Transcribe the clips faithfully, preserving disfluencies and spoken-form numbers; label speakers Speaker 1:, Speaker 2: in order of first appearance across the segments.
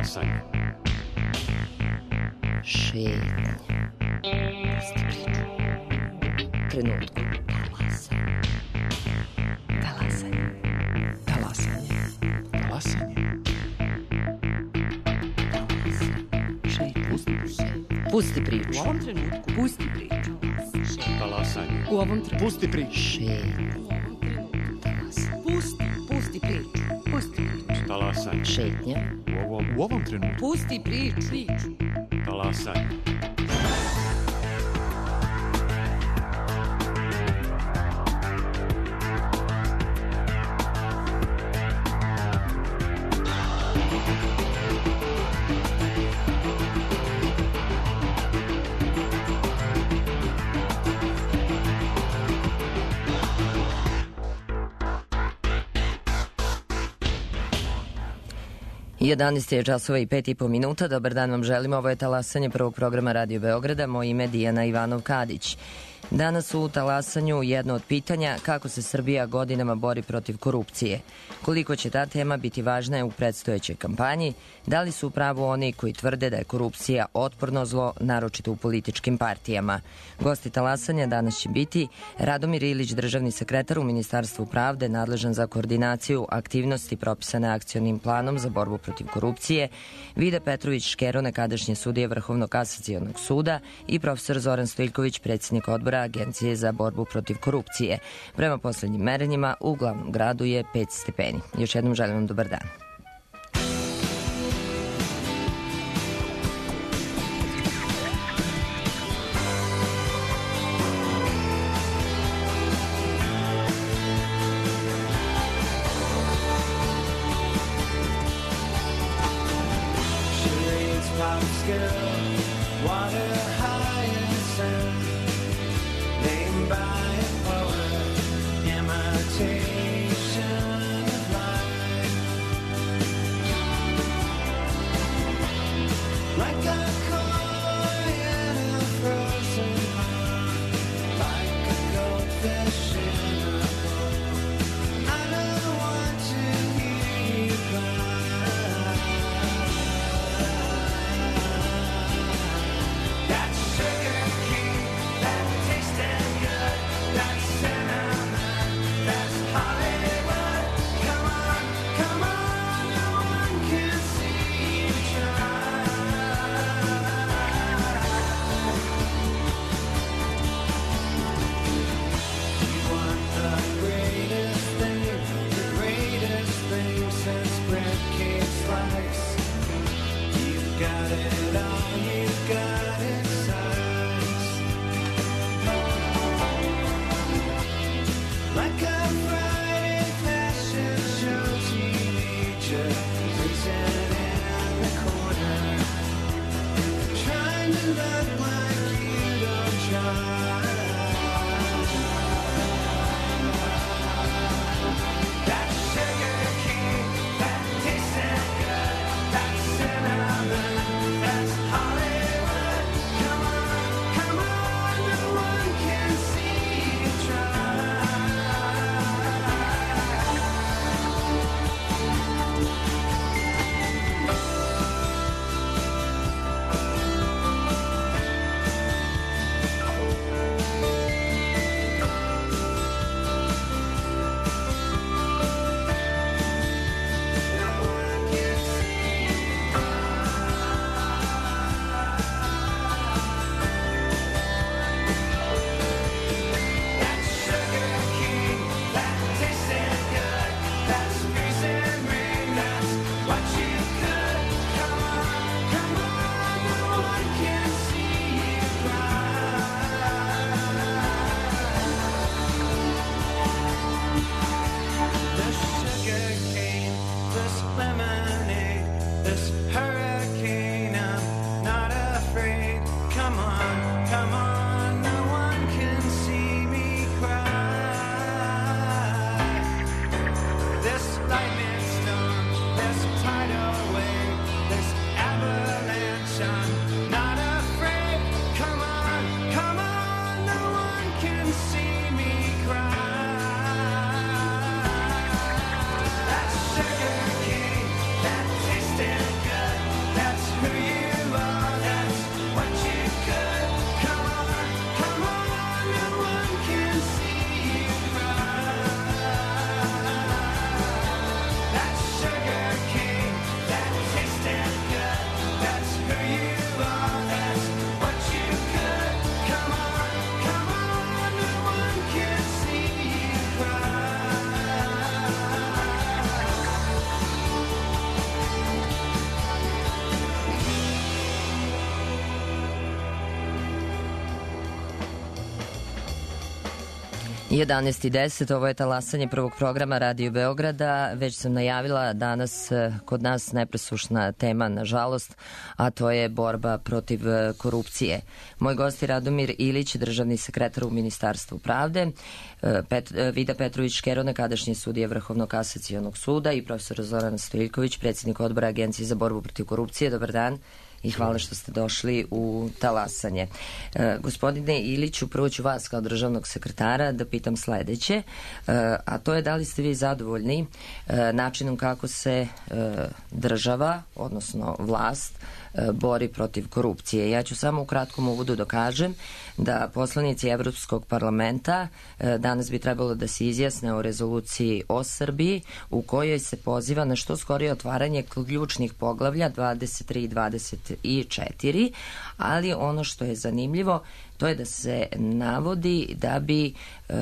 Speaker 1: Talasanje.
Speaker 2: Šetnja. Trenutku. Talasanje. Talasanje.
Speaker 1: Talasanje.
Speaker 2: Šetnja. Pusti priču.
Speaker 3: U ovom trenutku pusti priču.
Speaker 1: Talasanje.
Speaker 3: U ovom trenutku
Speaker 1: Pusti priču.
Speaker 2: Šetnja.
Speaker 3: pusti, pusti priču. Pusti priču.
Speaker 1: Talasanje.
Speaker 2: Šetnja.
Speaker 1: U ovom, u ovom trenutku.
Speaker 3: Pusti priču. priču.
Speaker 1: Talasanje.
Speaker 2: jedanaest je časova i pet i po minuta. Dobar dan vam želim. Ovo je Talasanje prvog programa Radio Beograda. Moje ime je Dijana Ivanov-Kadić. Danas u Talasanju jedno od pitanja kako se Srbija godinama bori protiv korupcije. Koliko će ta tema biti važna u predstojećoj kampanji? Da li su u pravu oni koji tvrde da je korupcija otporno zlo, naročito u političkim partijama? Gosti Talasanja danas će biti Radomir Ilić, državni sekretar u Ministarstvu pravde, nadležan za koordinaciju aktivnosti propisane akcionim planom za borbu protiv korupcije, Vida Petrović-Škero, nekadašnji sudija Vrhovnog kasacionog suda i profesor Zoran Stojiljković, predsjednik odbora Agencije za borbu protiv korupcije. Prema poslednjim merenjima u glavnom gradu je pet stepeni. Još jednom želim vam dobar dan.
Speaker 4: I
Speaker 2: jedanaest i deset, ovo je talasanje prvog programa Radio Beograda. Već sam najavila danas kod nas nepresušna tema, nažalost, a to je borba protiv korupcije. Moj gost je Radomir Ilić, državni sekretar u Ministarstvu pravde, Pet, Vida Petrović-Škero, nekadašnji sudija Vrhovnog kasacionog suda i profesor Zoran Stojiljković, predsjednik odbora Agencije za borbu protiv korupcije. Dobar dan i hvala što ste došli u talasanje. E, gospodine Iliću, prvo ću vas kao državnog sekretara da pitam sledeće, e, a to je da li ste vi zadovoljni e, načinom kako se e, država, odnosno vlast, e, bori protiv korupcije. Ja ću samo u kratkom uvodu da kažem da poslanici Evropskog parlamenta e, danas bi trebalo da se izjasne o rezoluciji o Srbiji u kojoj se poziva na što skorije otvaranje ključnih poglavlja dvadeset tri i dvadeset četiri, ali ono što je zanimljivo to je da se navodi da bi e,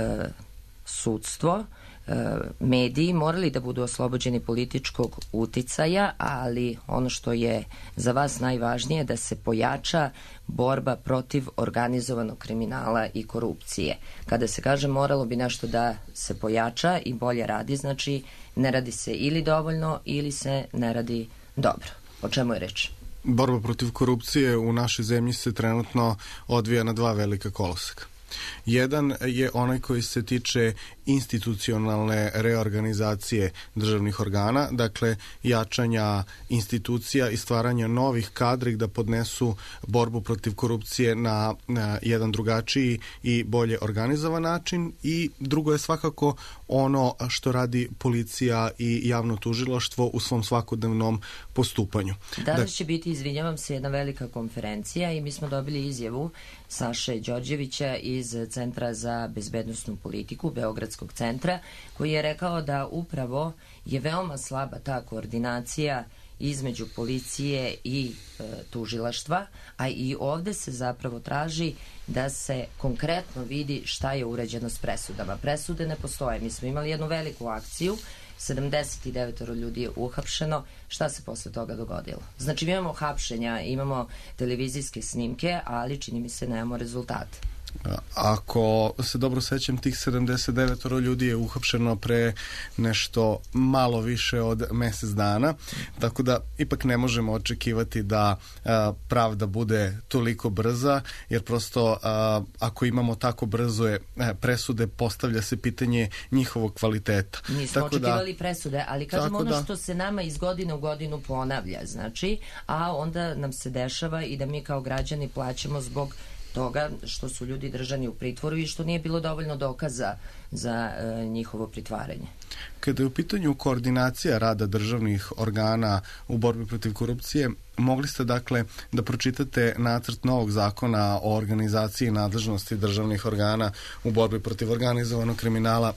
Speaker 2: sudstvo, e, mediji morali da budu oslobođeni političkog uticaja, ali ono što je za vas najvažnije da se pojača borba protiv organizovanog kriminala i korupcije. Kada se kaže moralo bi nešto da se pojača i bolje radi, znači ne radi se ili dovoljno ili se ne radi dobro. O čemu je reč?
Speaker 4: Borba protiv korupcije u našoj zemlji se trenutno odvija na dva velika koloseka. Jedan je onaj koji se tiče institucionalne reorganizacije državnih organa, dakle jačanja institucija i stvaranja novih kadri da podnesu borbu protiv korupcije na, na jedan drugačiji i bolje organizovan način, i drugo je svakako ono što radi policija i javno tužilaštvo u svom svakodnevnom postupanju.
Speaker 2: Danas će biti, izvinjavam se, jedna velika konferencija i mi smo dobili izjavu Saše Đorđevića iz Centra za bezbednosnu politiku, Beogradskog centra, koji je rekao da upravo je veoma slaba ta koordinacija između policije i e, tužilaštva, a i ovde se zapravo traži da se konkretno vidi šta je urađeno s presudama. Presude ne postoje. Mi smo imali jednu veliku akciju, sedamdeset devet ljudi je uhapšeno. Šta se posle toga dogodilo? Znači, mi imamo hapšenja, imamo televizijske snimke, ali čini mi se nemamo rezultate.
Speaker 4: Ako se dobro sećam, tih sedamdeset devet ljudi je uhapšeno pre nešto malo više od mesec dana, tako da ipak ne možemo očekivati da a, pravda bude toliko brza, jer prosto a, ako imamo tako brzo je a, presude, postavlja se pitanje njihovog kvaliteta.
Speaker 2: Nismo
Speaker 4: tako
Speaker 2: očekivali
Speaker 4: da,
Speaker 2: presude, ali kažemo ono
Speaker 4: da,
Speaker 2: što se nama iz godine u godinu ponavlja, znači, a onda nam se dešava i da mi kao građani plaćamo zbog toga što su ljudi držani u pritvoru i što nije bilo dovoljno dokaza za e, njihovo pritvaranje.
Speaker 4: Kada je u pitanju koordinacija rada državnih organa u borbi protiv korupcije, mogli ste dakle da pročitate nacrt novog zakona o organizaciji i nadležnosti državnih organa u borbi protiv organizovanog kriminala,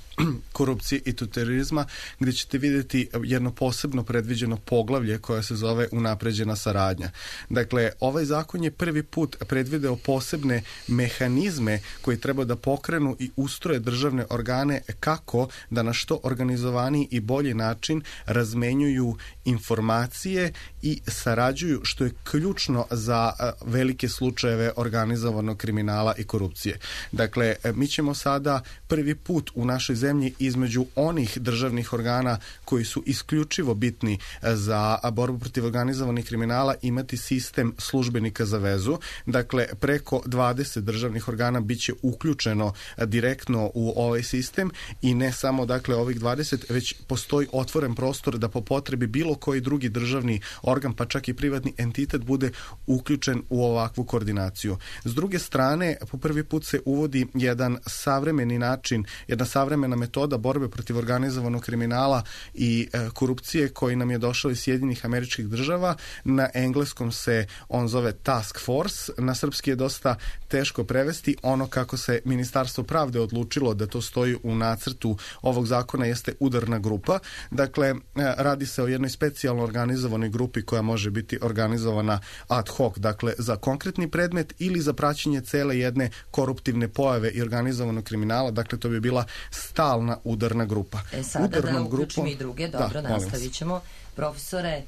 Speaker 4: korupcije i terorizma, gdje ćete vidjeti jedno posebno predviđeno poglavlje koje se zove unapređena saradnja. Dakle, ovaj zakon je prvi put predvideo posebne mehanizme koji treba da pokrenu i ustroje državne organe kako da na što organizovaniji i bolji način razmenjuju informacije i sarađuju, što je ključno za velike slučajeve organizovanog kriminala i korupcije. Dakle, mi ćemo sada prvi put u našoj zemlji između onih državnih organa koji su isključivo bitni za borbu protiv organizovanih kriminala imati sistem službenika za vezu. Dakle, preko dvadeset državnih organa biće uključeno direktno u ovaj sistem i ne samo dakle ovih dvadeset, već postoji otvoren prostor da po potrebi bilo koji drugi državni organ, pa čak i privatni entitet bude uključen u ovakvu koordinaciju. S druge strane, po prvi put se uvodi jedan savremeni način, jedna savremena metoda borbe protiv organizovanog kriminala i e, korupcije koji nam je došao iz Sjedinjenih Američkih Država. Na engleskom se on zove Task Force, na srpski je dosta teško prevesti. Ono kako se Ministarstvo pravde odlučilo da to stoji u nacrtu ovog zakona jeste udarna grupa. Dakle, e, radi se o jednoj specijalno organizovanoj grupi koja može biti organizovana ad hoc, dakle za konkretni predmet ili za praćenje cele jedne koruptivne pojave i organizovanog kriminala, dakle to bi bila stalna udarna grupa.
Speaker 2: E sada
Speaker 4: Udarnom
Speaker 2: da uključimo
Speaker 4: grupom,
Speaker 2: i druge, dobro,
Speaker 4: da,
Speaker 2: nastavit ćemo. Profesore,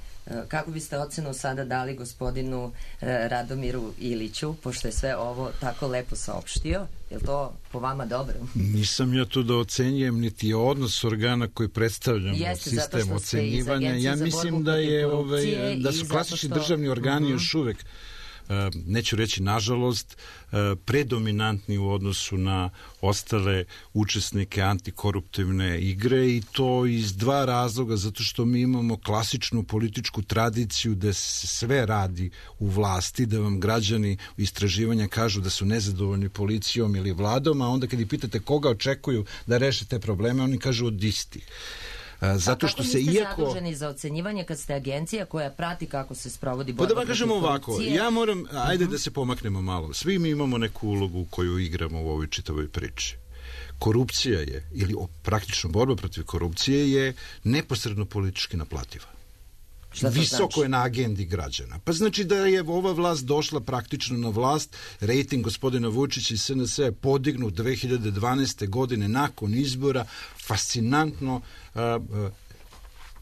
Speaker 2: Kako biste ocenu sada dali gospodinu Radomiru Iliću, pošto je sve ovo tako lepo saopštio? Je li to po vama dobro?
Speaker 5: Nisam ja tu da ocenjujem, niti je odnos organa koji predstavljamo
Speaker 2: Jeste,
Speaker 5: sistem ocenjivanja. Ja mislim da je ovaj, da su klasični što... državni organi uh-huh. još uvek, neću reći nažalost, predominantni u odnosu na ostale učesnike antikoruptivne igre, i to iz dva razloga, zato što mi imamo klasičnu političku tradiciju da se sve radi u vlasti, da vam građani u istraživanja kažu da su nezadovoljni policijom ili vladom, a onda kad ih pitate koga očekuju da reše te probleme, oni kažu od istih. Zato što se iako...
Speaker 2: Kako niste zaduženi za ocenjivanje kad ste agencija koja prati kako se sprovodi borba protiv korupcije?
Speaker 5: Pa da vam kažemo ovako, ja moram, ajde uh-huh. da se pomaknemo malo. Svi mi imamo neku ulogu koju igramo u ovoj čitavoj priči. Korupcija je, ili praktično borba protiv korupcije je neposredno politički naplativa. Visoko znači? Je na agendi građana. Pa znači da je ova vlast došla praktično na vlast, rejting gospodina Vučića i S N S je podignut dve hiljade dvanaeste. godine nakon izbora, fascinantno uh, uh,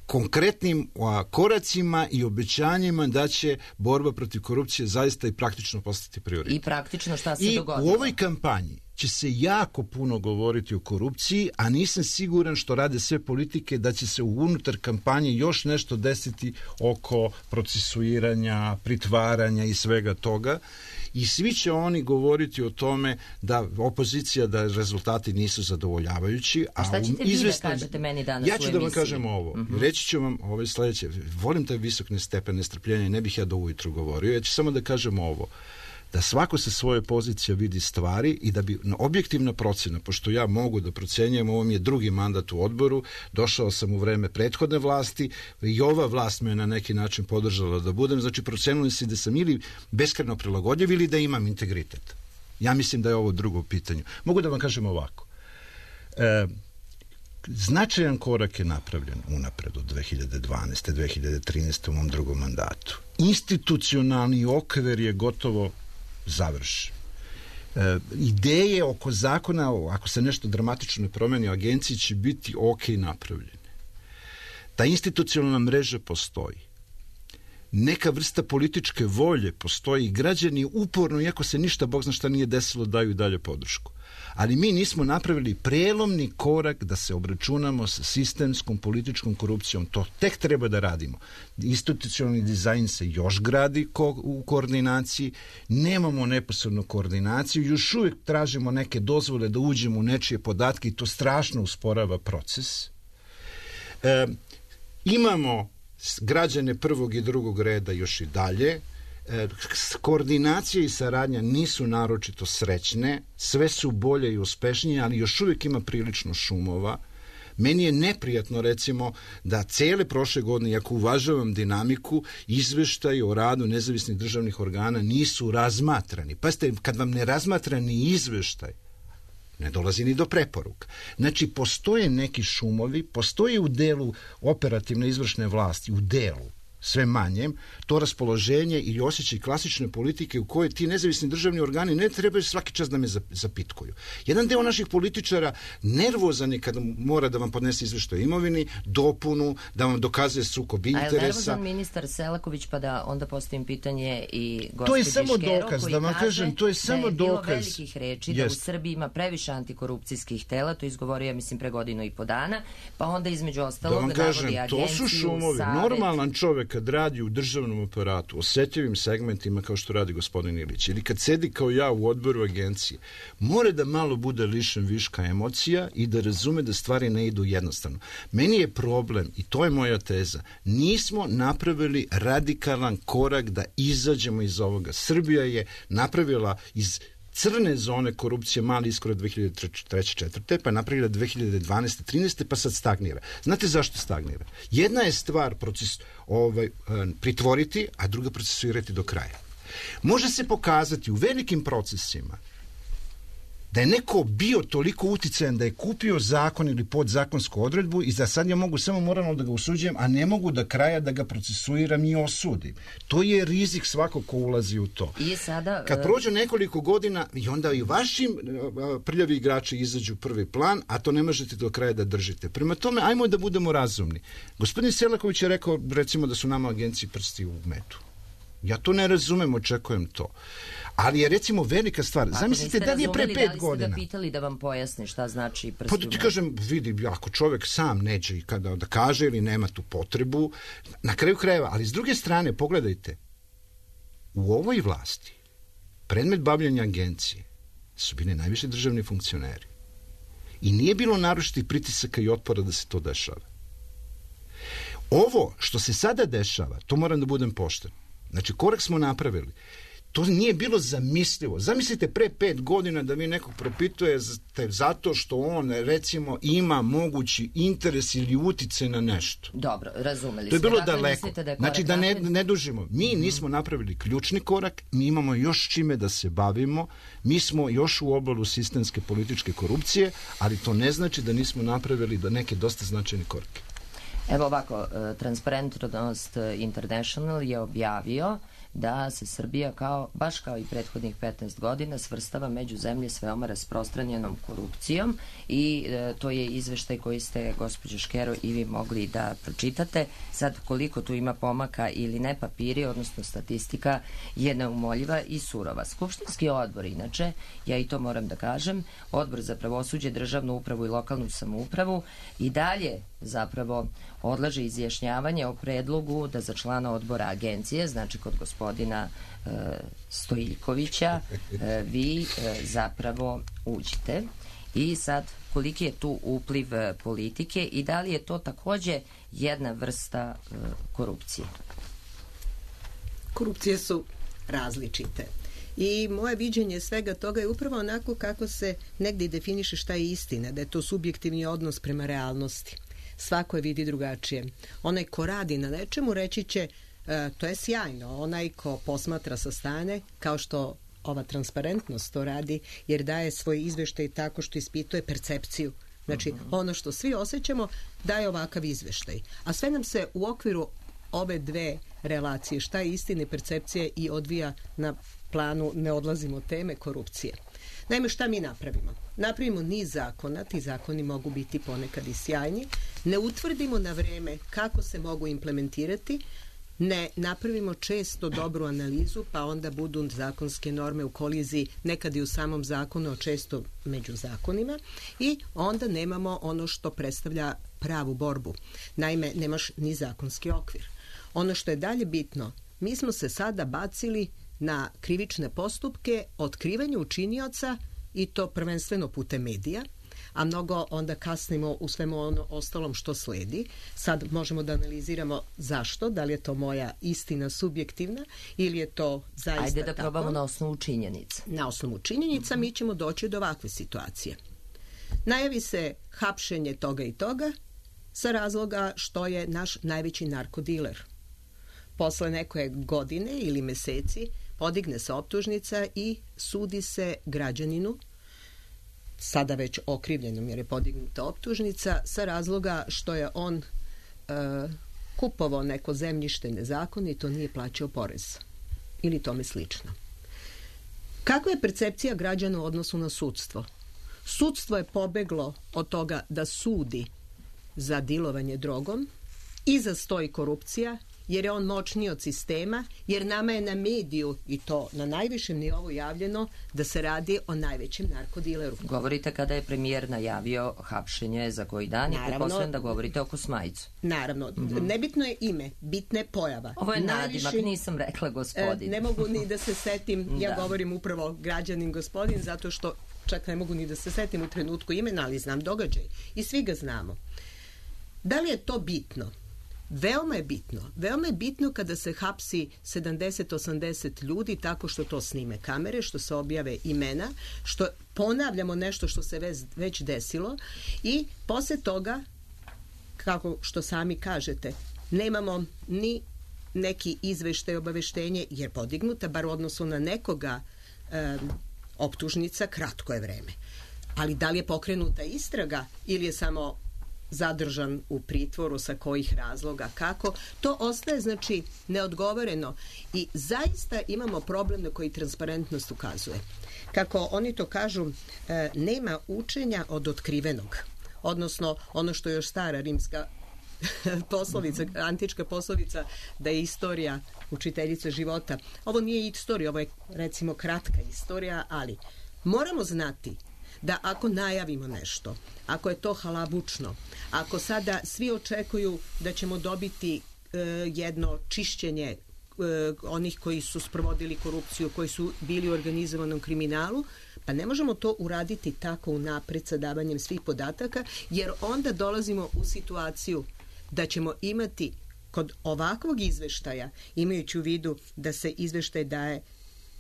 Speaker 5: konkretnim uh, koracima i obećanjima da će borba protiv korupcije zaista i praktično postati prioritet.
Speaker 2: I praktično šta se
Speaker 5: I
Speaker 2: dogodilo?
Speaker 5: U ovoj kampanji će se jako puno govoriti o korupciji, a nisam siguran što rade sve politike da će se unutar kampanje još nešto desiti oko procesuiranja, pritvaranja i svega toga. I svi će oni govoriti o tome da opozicija, da rezultati nisu zadovoljavajući.
Speaker 2: A šta ćete vi da kažete meni danas u emisiji?
Speaker 5: Ja ću da vam kažem ovo. Uh-huh. Reći ću vam ove sledeće. Volim taj visok stepen nestrpljenja i ne bih ja do ujutru govorio. Ja ću samo da kažem ovo. Da svako sa svoje pozicije vidi stvari i da bi objektivna procena, pošto ja mogu da procenjujem, ovo mi je drugi mandat u odboru, došao sam u vreme prethodne vlasti i ova vlast me na neki način podržala da budem, znači procenili se da sam ili beskrajno prilagodljiv ili da imam integritet. Ja mislim da je ovo drugo pitanje. Mogu da vam kažem ovako. E, značajan korak je napravljen unapred od dve hiljade dvanaeste. dve hiljade trinaeste. u mom drugom mandatu. Institucionalni okvir je gotovo završi. E, ideje oko zakona, ako se nešto dramatično ne promeni u agenciji, će biti ok napravljene. Ta institucionalna mreža postoji. Neka vrsta političke volje postoji i građani uporno, iako se ništa, Bog zna šta nije desilo, daju i dalje podršku. Ali mi nismo napravili prelomni korak da se obračunamo sa sistemskom političkom korupcijom. To tek treba da radimo. Institucionalni dizajn se još gradi ko- u koordinaciji, nemamo neposrednu koordinaciju, još uvijek tražimo neke dozvole da uđemo u nečije podatke i to strašno usporava proces. E, imamo građane prvog i drugog reda još i dalje. E, koordinacija i saradnja nisu naročito srećne, sve su bolje i uspešnije, ali još uvijek ima prilično šumova. Meni je neprijatno, recimo, da cele prošle godine, iako uvažavam dinamiku, izveštaji o radu nezavisnih državnih organa nisu razmatrani. Pazite, kad vam ne razmatrani izveštaj, ne dolazi ni do preporuka. Znači, postoje neki šumovi, postoje u delu operativne izvršne vlasti, u delu, sve manjem, to raspoloženje ili osjećaj klasične politike u kojoj ti nezavisni državni organi ne trebaju svaki čas da me zapitkuju. Jedan deo naših političara nervozan je kada mora da vam podnese izveštaj o imovini, dopunu, da vam dokazuje sukob interesa. A je nervozan ministar
Speaker 2: Selaković, pa da onda postavim pitanje i gospođi
Speaker 5: To je samo
Speaker 2: Škero,
Speaker 5: dokaz, da vam kažem, to je samo
Speaker 2: da je
Speaker 5: dokaz.
Speaker 2: bilo velikih reči,
Speaker 5: Jest.
Speaker 2: da u Srbiji ima previše antikorupcijskih tela, to izgovorio, ja mislim, pre godinu i po dana, pa onda između ostalog
Speaker 5: da vam kažem,
Speaker 2: navodi agenciju,
Speaker 5: to su šumovi.
Speaker 2: Savet.
Speaker 5: Normalan čovek kad radi u državnom aparatu, osetljivim segmentima kao što radi gospodin Ilić, ili kad sedi kao ja u odboru agencije, mora da malo bude lišen viška emocija i da razume da stvari ne idu jednostavno. Meni je problem, i to je moja teza, nismo napravili radikalan korak da izađemo iz ovoga. Srbija je napravila iz crne zone korupcije mali iskorak dve hiljade treće četvrte pa je napravila dve hiljade dvanaeste trinaeste pa sad stagnira. Znate zašto stagnira? Jedna je stvar proces, ovaj, pritvoriti, a druga procesuirati do kraja. Može se pokazati u velikim procesima da je neko bio toliko uticajan da je kupio zakon ili podzakonsku odredbu i da sad ja mogu samo moralno da ga osuđujem, a ne mogu da kraja da ga procesuiram i osudim. To je rizik svakog ko ulazi u to.
Speaker 2: I sada,
Speaker 5: kad prođe nekoliko godina i onda i vašim prljavi igrači izađu prvi plan, a to ne možete do kraja da držite. Prema tome, ajmo da budemo razumni. Gospodin Selaković je rekao, recimo, da su nama agenciji prsti u medu. Ja to ne razumem, očekujem to. Ali je, recimo, velika stvar.
Speaker 2: Ako
Speaker 5: zamislite da li je pre pet godina.
Speaker 2: Da li ste ga pitali da vam pojasni šta znači prsti
Speaker 5: Pa
Speaker 2: u
Speaker 5: da ti
Speaker 2: medu?
Speaker 5: kažem, vidi, ako čovjek sam neće kada da kaže ili nema tu potrebu, na kraju krajeva, ali s druge strane, pogledajte, u ovoj vlasti predmet bavljanja agencije su bili najviše državni funkcioneri. I nije bilo naročitih pritisaka i otpora da se to dešava. Ovo što se sada dešava, to moram da budem pošten. Znači, korak smo napravili. To nije bilo zamislivo. Zamislite pre pet godina da vi nekog propitujete zato što on, recimo, ima mogući interes ili utice na nešto.
Speaker 2: Dobro, razumeli
Speaker 5: To je
Speaker 2: smo.
Speaker 5: bilo
Speaker 2: Dakle,
Speaker 5: daleko.
Speaker 2: mislite da je
Speaker 5: Znači,
Speaker 2: korak
Speaker 5: da ne,
Speaker 2: napred?
Speaker 5: ne dužimo. Mi nismo napravili ključni korak, mi imamo još čime da se bavimo, mi smo još u obalu sistemske političke korupcije, ali to ne znači da nismo napravili da neke dosta značajne korake.
Speaker 2: Evo ovako, Transparentnost International je objavio da se Srbija, kao, baš kao i prethodnih petnaest godina, svrstava među zemlje s veoma rasprostranjenom korupcijom i e, to je izveštaj koji ste, gospođo Škero, i vi mogli da pročitate. Sad, koliko tu ima pomaka ili ne, papiri, odnosno statistika, je neumoljiva i surova. Skupštinski odbor, inače, ja i to moram da kažem, Odbor za pravosuđe, državnu upravu i lokalnu samoupravu i dalje zapravo odlaže izjašnjavanje o predlogu da za člana odbora agencije, znači kod gospodina e, Stojiljkovića, e, vi e, zapravo uđite. I sad, koliki je tu upliv e, politike i da li je to takođe jedna vrsta e, korupcije?
Speaker 6: Korupcije su različite. I moje viđenje svega toga je upravo onako kako se negdje definiše šta je istina, da je to subjektivni odnos prema realnosti. Svako je vidi drugačije. Onaj ko radi na nečemu reći će e, to je sjajno. Onaj ko posmatra sa strane, kao što ova transparentnost to radi, jer daje svoj izveštaj tako što ispituje percepciju. Znači, uh-huh. ono što svi osjećamo daje ovakav izveštaj. A sve nam se u okviru ove dve relacije, šta je istine, percepcije, i odvija na planu, ne odlazimo od teme, korupcije. Naime, šta mi napravimo? Napravimo niz zakona, ti zakoni mogu biti ponekad i sjajni, ne utvrdimo na vreme kako se mogu implementirati, ne napravimo često dobru analizu, pa onda budu zakonske norme u koliziji, nekad i u samom zakonu, a često među zakonima, i onda nemamo ono što predstavlja pravu borbu. Naime, nemaš ni zakonski okvir. Ono što je dalje bitno, mi smo se sada bacili na krivične postupke, otkrivanje učinioca, i to prvenstveno putem medija, a mnogo onda kasnimo u svemu ono ostalom što sledi. Sad možemo da analiziramo zašto, da li je to moja istina subjektivna ili je to zaista tako.
Speaker 2: Ajde da probamo na osnovu činjenica.
Speaker 6: Na osnovu činjenica mi ćemo doći do ovakve situacije. Najavi se hapšenje toga i toga sa razloga što je naš najveći narkodiler. Posle neke godine ili meseci podigne se optužnica i sudi se građaninu, sada već okrivljenom jer je podignuta optužnica, sa razloga što je on e, kupovao neko zemljište nezakonito, nije plaćao porez ili tome slično. Kakva je percepcija građana u odnosu na sudstvo? Sudstvo je pobeglo od toga da sudi za dilovanje drogom i za stoji korupcija, jer je on moćniji od sistema, jer nama je na mediju, i to na najvišem nivou, javljeno da se radi o najvećem narkodileru.
Speaker 2: Govorite kada je premijer najavio hapšenje za koji dan i pretpostavljam da govorite o Kosmajcu.
Speaker 6: Naravno, mm-hmm. nebitno je ime, bitna je pojava.
Speaker 2: Ovo je
Speaker 6: Najviši,
Speaker 2: nadimak, nisam rekla gospodin.
Speaker 6: E, ne mogu ni da se setim, ja da. govorim upravo građanin gospodin, zato što čak ne mogu ni da se setim u trenutku imena, ali znam događaj i svi ga znamo. Da li je to bitno? Veoma je bitno. Veoma je bitno kada se hapsi sedamdeset osamdeset ljudi tako što to snime kamere, što se objave imena, što ponavljamo nešto što se već, već desilo, i posle toga, kako što sami kažete, nemamo ni neki izveštaj, obaveštenje, jer podignuta, bar u odnosu na nekoga, e, optužnica, kratko je vreme. Ali da li je pokrenuta istraga ili je samo zadržan u pritvoru, sa kojih razloga, kako, to ostaje znači neodgovoreno i zaista imamo problem na koji transparentnost ukazuje. Kako oni to kažu, e, nema učenja od otkrivenog, odnosno ono što je još stara rimska poslovica, antička poslovica da je istorija učiteljica života. Ovo nije istorija, ovo je recimo kratka istorija, ali moramo znati da ako najavimo nešto, ako je to halabučno, ako sada svi očekuju da ćemo dobiti e, jedno čišćenje e, onih koji su sprovodili korupciju, koji su bili u organizovanom kriminalu, pa ne možemo to uraditi tako unapred sa davanjem svih podataka, jer onda dolazimo u situaciju da ćemo imati kod ovakvog izveštaja, imajući u vidu da se izveštaj daje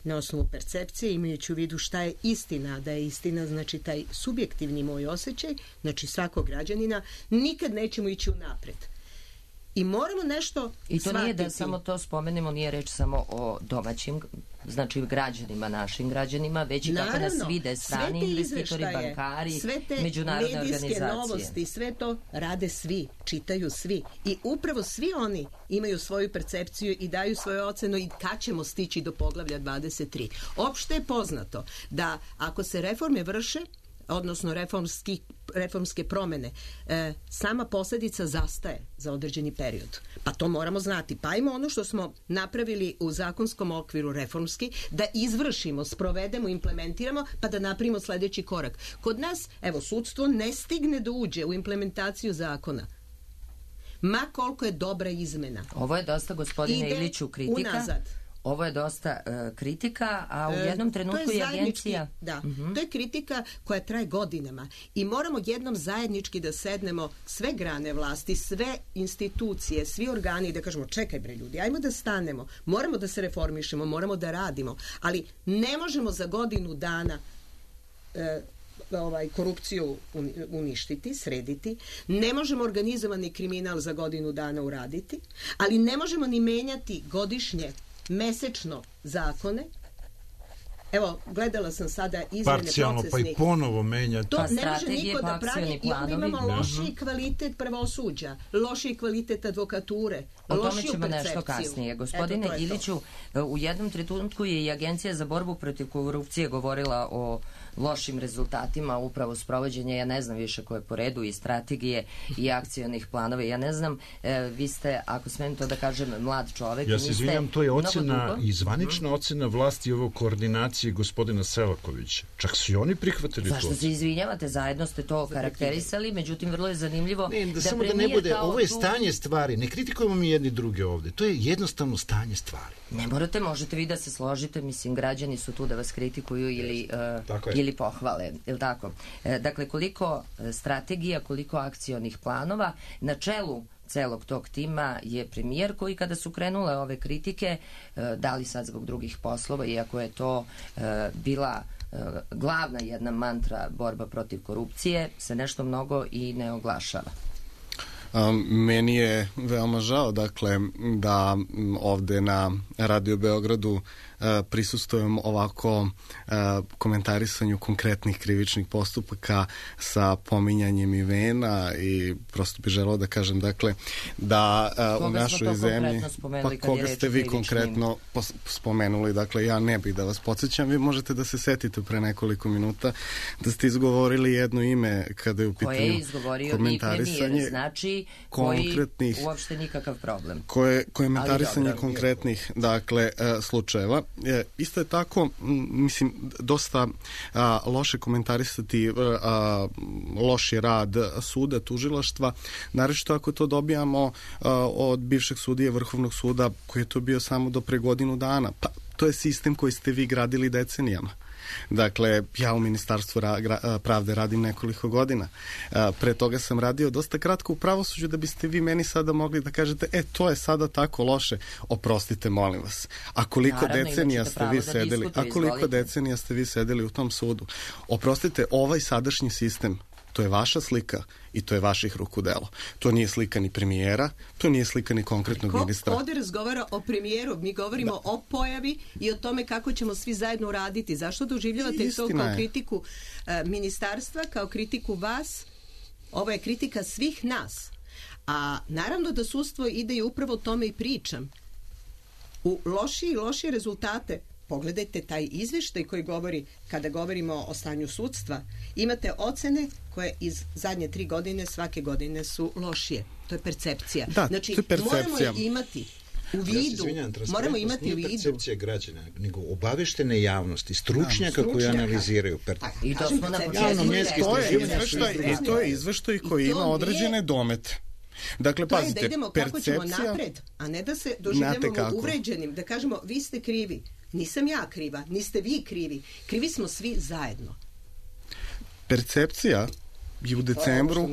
Speaker 6: na osnovu percepcije, imajući u vidu šta je istina, da je istina znači taj subjektivni moj osjećaj, znači svakog građanina, nikad nećemo ići unapred. I moramo nešto
Speaker 2: I to
Speaker 6: shvatiti.
Speaker 2: Nije da samo to spomenemo, nije reč samo o domaćim, znači građanima, našim građanima, već i kako nas vide strani investitori, bankari, međunarodne organizacije. Sve te medijske novosti, sve to rade svi, čitaju svi. I upravo svi oni imaju svoju percepciju i daju svoju ocenu i kad ćemo stići do poglavlja dvadeset tri. Opšte je poznato da ako se reforme vrše, odnosno reformski, reformske promene, e, sama posljedica zastaje za određeni period. Pa to moramo znati. Pa ajmo ono što smo napravili u zakonskom okviru reformski, da izvršimo, sprovedemo, implementiramo, pa da napravimo sljedeći korak. Kod nas, evo, sudstvo ne stigne da uđe u implementaciju zakona. Ma koliko je dobra izmena. Ovo je dosta, gospodine
Speaker 6: Ide
Speaker 2: Iliću, kritika.
Speaker 6: Unazad.
Speaker 2: Ovo je dosta uh, kritika, a u jednom trenutku je, je agencija...
Speaker 6: Da,
Speaker 2: uh-huh.
Speaker 6: to je kritika koja traje godinama i moramo jednom zajednički da sednemo sve grane vlasti, sve institucije, svi organi i da kažemo čekaj bre ljudi, ajmo da stanemo, moramo da se reformišemo, moramo da radimo, ali ne možemo za godinu dana e, ovaj, korupciju uništiti, srediti, ne možemo organizovani kriminal za godinu dana uraditi, ali ne možemo ni menjati godišnje mesečno zakone. Evo, gledala sam sada izmene
Speaker 5: parcijalno,
Speaker 6: procesnih.
Speaker 5: Pa i ponovo menjati.
Speaker 6: To
Speaker 2: pa
Speaker 6: ne može niko
Speaker 2: pa
Speaker 6: da pravi. I onda imamo
Speaker 2: planovi.
Speaker 6: lošiji kvalitet pravosuđa, lošiji kvalitet advokature,
Speaker 2: o tome
Speaker 6: lošiju
Speaker 2: ćemo
Speaker 6: percepciju.
Speaker 2: Nešto kasnije. Gospodine
Speaker 6: Eto,
Speaker 2: Iliću, u jednom trenutku je i Agencija za borbu protiv korupcije govorila o lošim rezultatima upravo sprovođenja, ja ne znam više koje po redu, i strategije i akcionih planova. Ja ne znam, e, vi ste, ako smijem to da kažem, mlad čovek.
Speaker 5: Ja se izvinjam, to je ocena i zvanična
Speaker 2: mm.
Speaker 5: ocena vlasti ovo koordinacije gospodina Selakovića. Čak su i oni prihvatili to.
Speaker 2: Zašto se izvinjavate? Zajedno ste to karakterisali, međutim, vrlo je zanimljivo
Speaker 5: ne, da,
Speaker 2: da
Speaker 5: samo da ne bude, ovo je stanje stvari. Ne kritikujemo mi jedni druge ovde. To je jednostavno stanje stvari.
Speaker 2: Ne morate, možete vi da se složite, mislim, građani su tu da vas kritikuju ili, uh, ili pohvale, je li tako? E, dakle, koliko strategija, koliko akcionih planova, na čelu celog tog tima je premijer koji kada su krenule ove kritike, uh, da li sad zbog drugih poslova, iako je to uh, bila uh, glavna jedna mantra borba protiv korupcije, se nešto mnogo i ne oglašava.
Speaker 4: Um, meni je veoma žao, dakle, da ovde na Radio Beogradu uh, prisustvujem ovako uh, komentarisanju konkretnih krivičnih postupaka sa pominjanjem imena i prosto bih želeo da kažem, dakle, da uh, u našoj zemlji, pa koga ste vi konkretno spomenuli, dakle, ja ne bih da vas podsjećam, vi možete da se setite pre nekoliko minuta da ste izgovorili jedno ime kada je u pitanju
Speaker 2: koje je izgovorio i premijer, znači
Speaker 4: konkretnih,
Speaker 2: koji uopšte nikakav problem.
Speaker 4: Koje, komentarisanje konkretnih, dakle, e, slučajeva. E, isto je tako, m, mislim, dosta a, loše komentarisati a, loši rad suda, tužilaštva, naročito ako to dobijamo a, od bivšeg sudije Vrhovnog suda, koji je to bio samo do pre godinu dana. Pa, to je sistem koji ste vi gradili decenijama. Dakle, ja u Ministarstvu ra, gra, pravde radim nekoliko godina. Pre toga sam radio dosta kratko u pravosuđu da biste vi meni sada mogli da kažete, e, to je sada tako loše. Oprostite, molim vas. A koliko Naravno, decenija ste vi sedeli, a koliko izvolite. decenija ste vi sedeli u tom sudu? Oprostite, ovaj sadašnji sistem To je vaša slika i to je vaših ruku delo. To nije slika ni premijera, to nije slika ni konkretnog
Speaker 6: Ko
Speaker 4: ministra.
Speaker 6: ovde razgovara o premijeru, mi govorimo da. o pojavi i o tome kako ćemo svi zajedno uraditi. Zašto doživljavate to kao je. kritiku uh, ministarstva, kao kritiku vas? Ovo je kritika svih nas. A naravno da sudstvo ide i upravo o tome i pričam. U lošije i lošije rezultate, pogledajte taj izveštaj koji govori, kada govorimo o stanju sudstva, imate ocene koje iz zadnje tri godine svake godine su lošije. To je percepcija.
Speaker 4: Da,
Speaker 6: znači,
Speaker 4: to je percepcija.
Speaker 6: Moramo je imati u vidu. Ja se izvinjam,
Speaker 5: moramo imati u vidu. Nije percepcija građana, nego obaveštene javnosti, stručnjaka da, koji analiziraju. Per...
Speaker 2: A, I to smo na početku.
Speaker 4: To je izveštaj koji ima određene nije... domete. Dakle,
Speaker 6: to
Speaker 4: pazite,
Speaker 6: je da idemo kako ćemo napred, a ne da se doživljavamo uvređenim, da kažemo vi ste krivi. Nisam ja kriva, niste vi krivi. Krivi smo svi zajedno.
Speaker 4: Percepcija je u decembru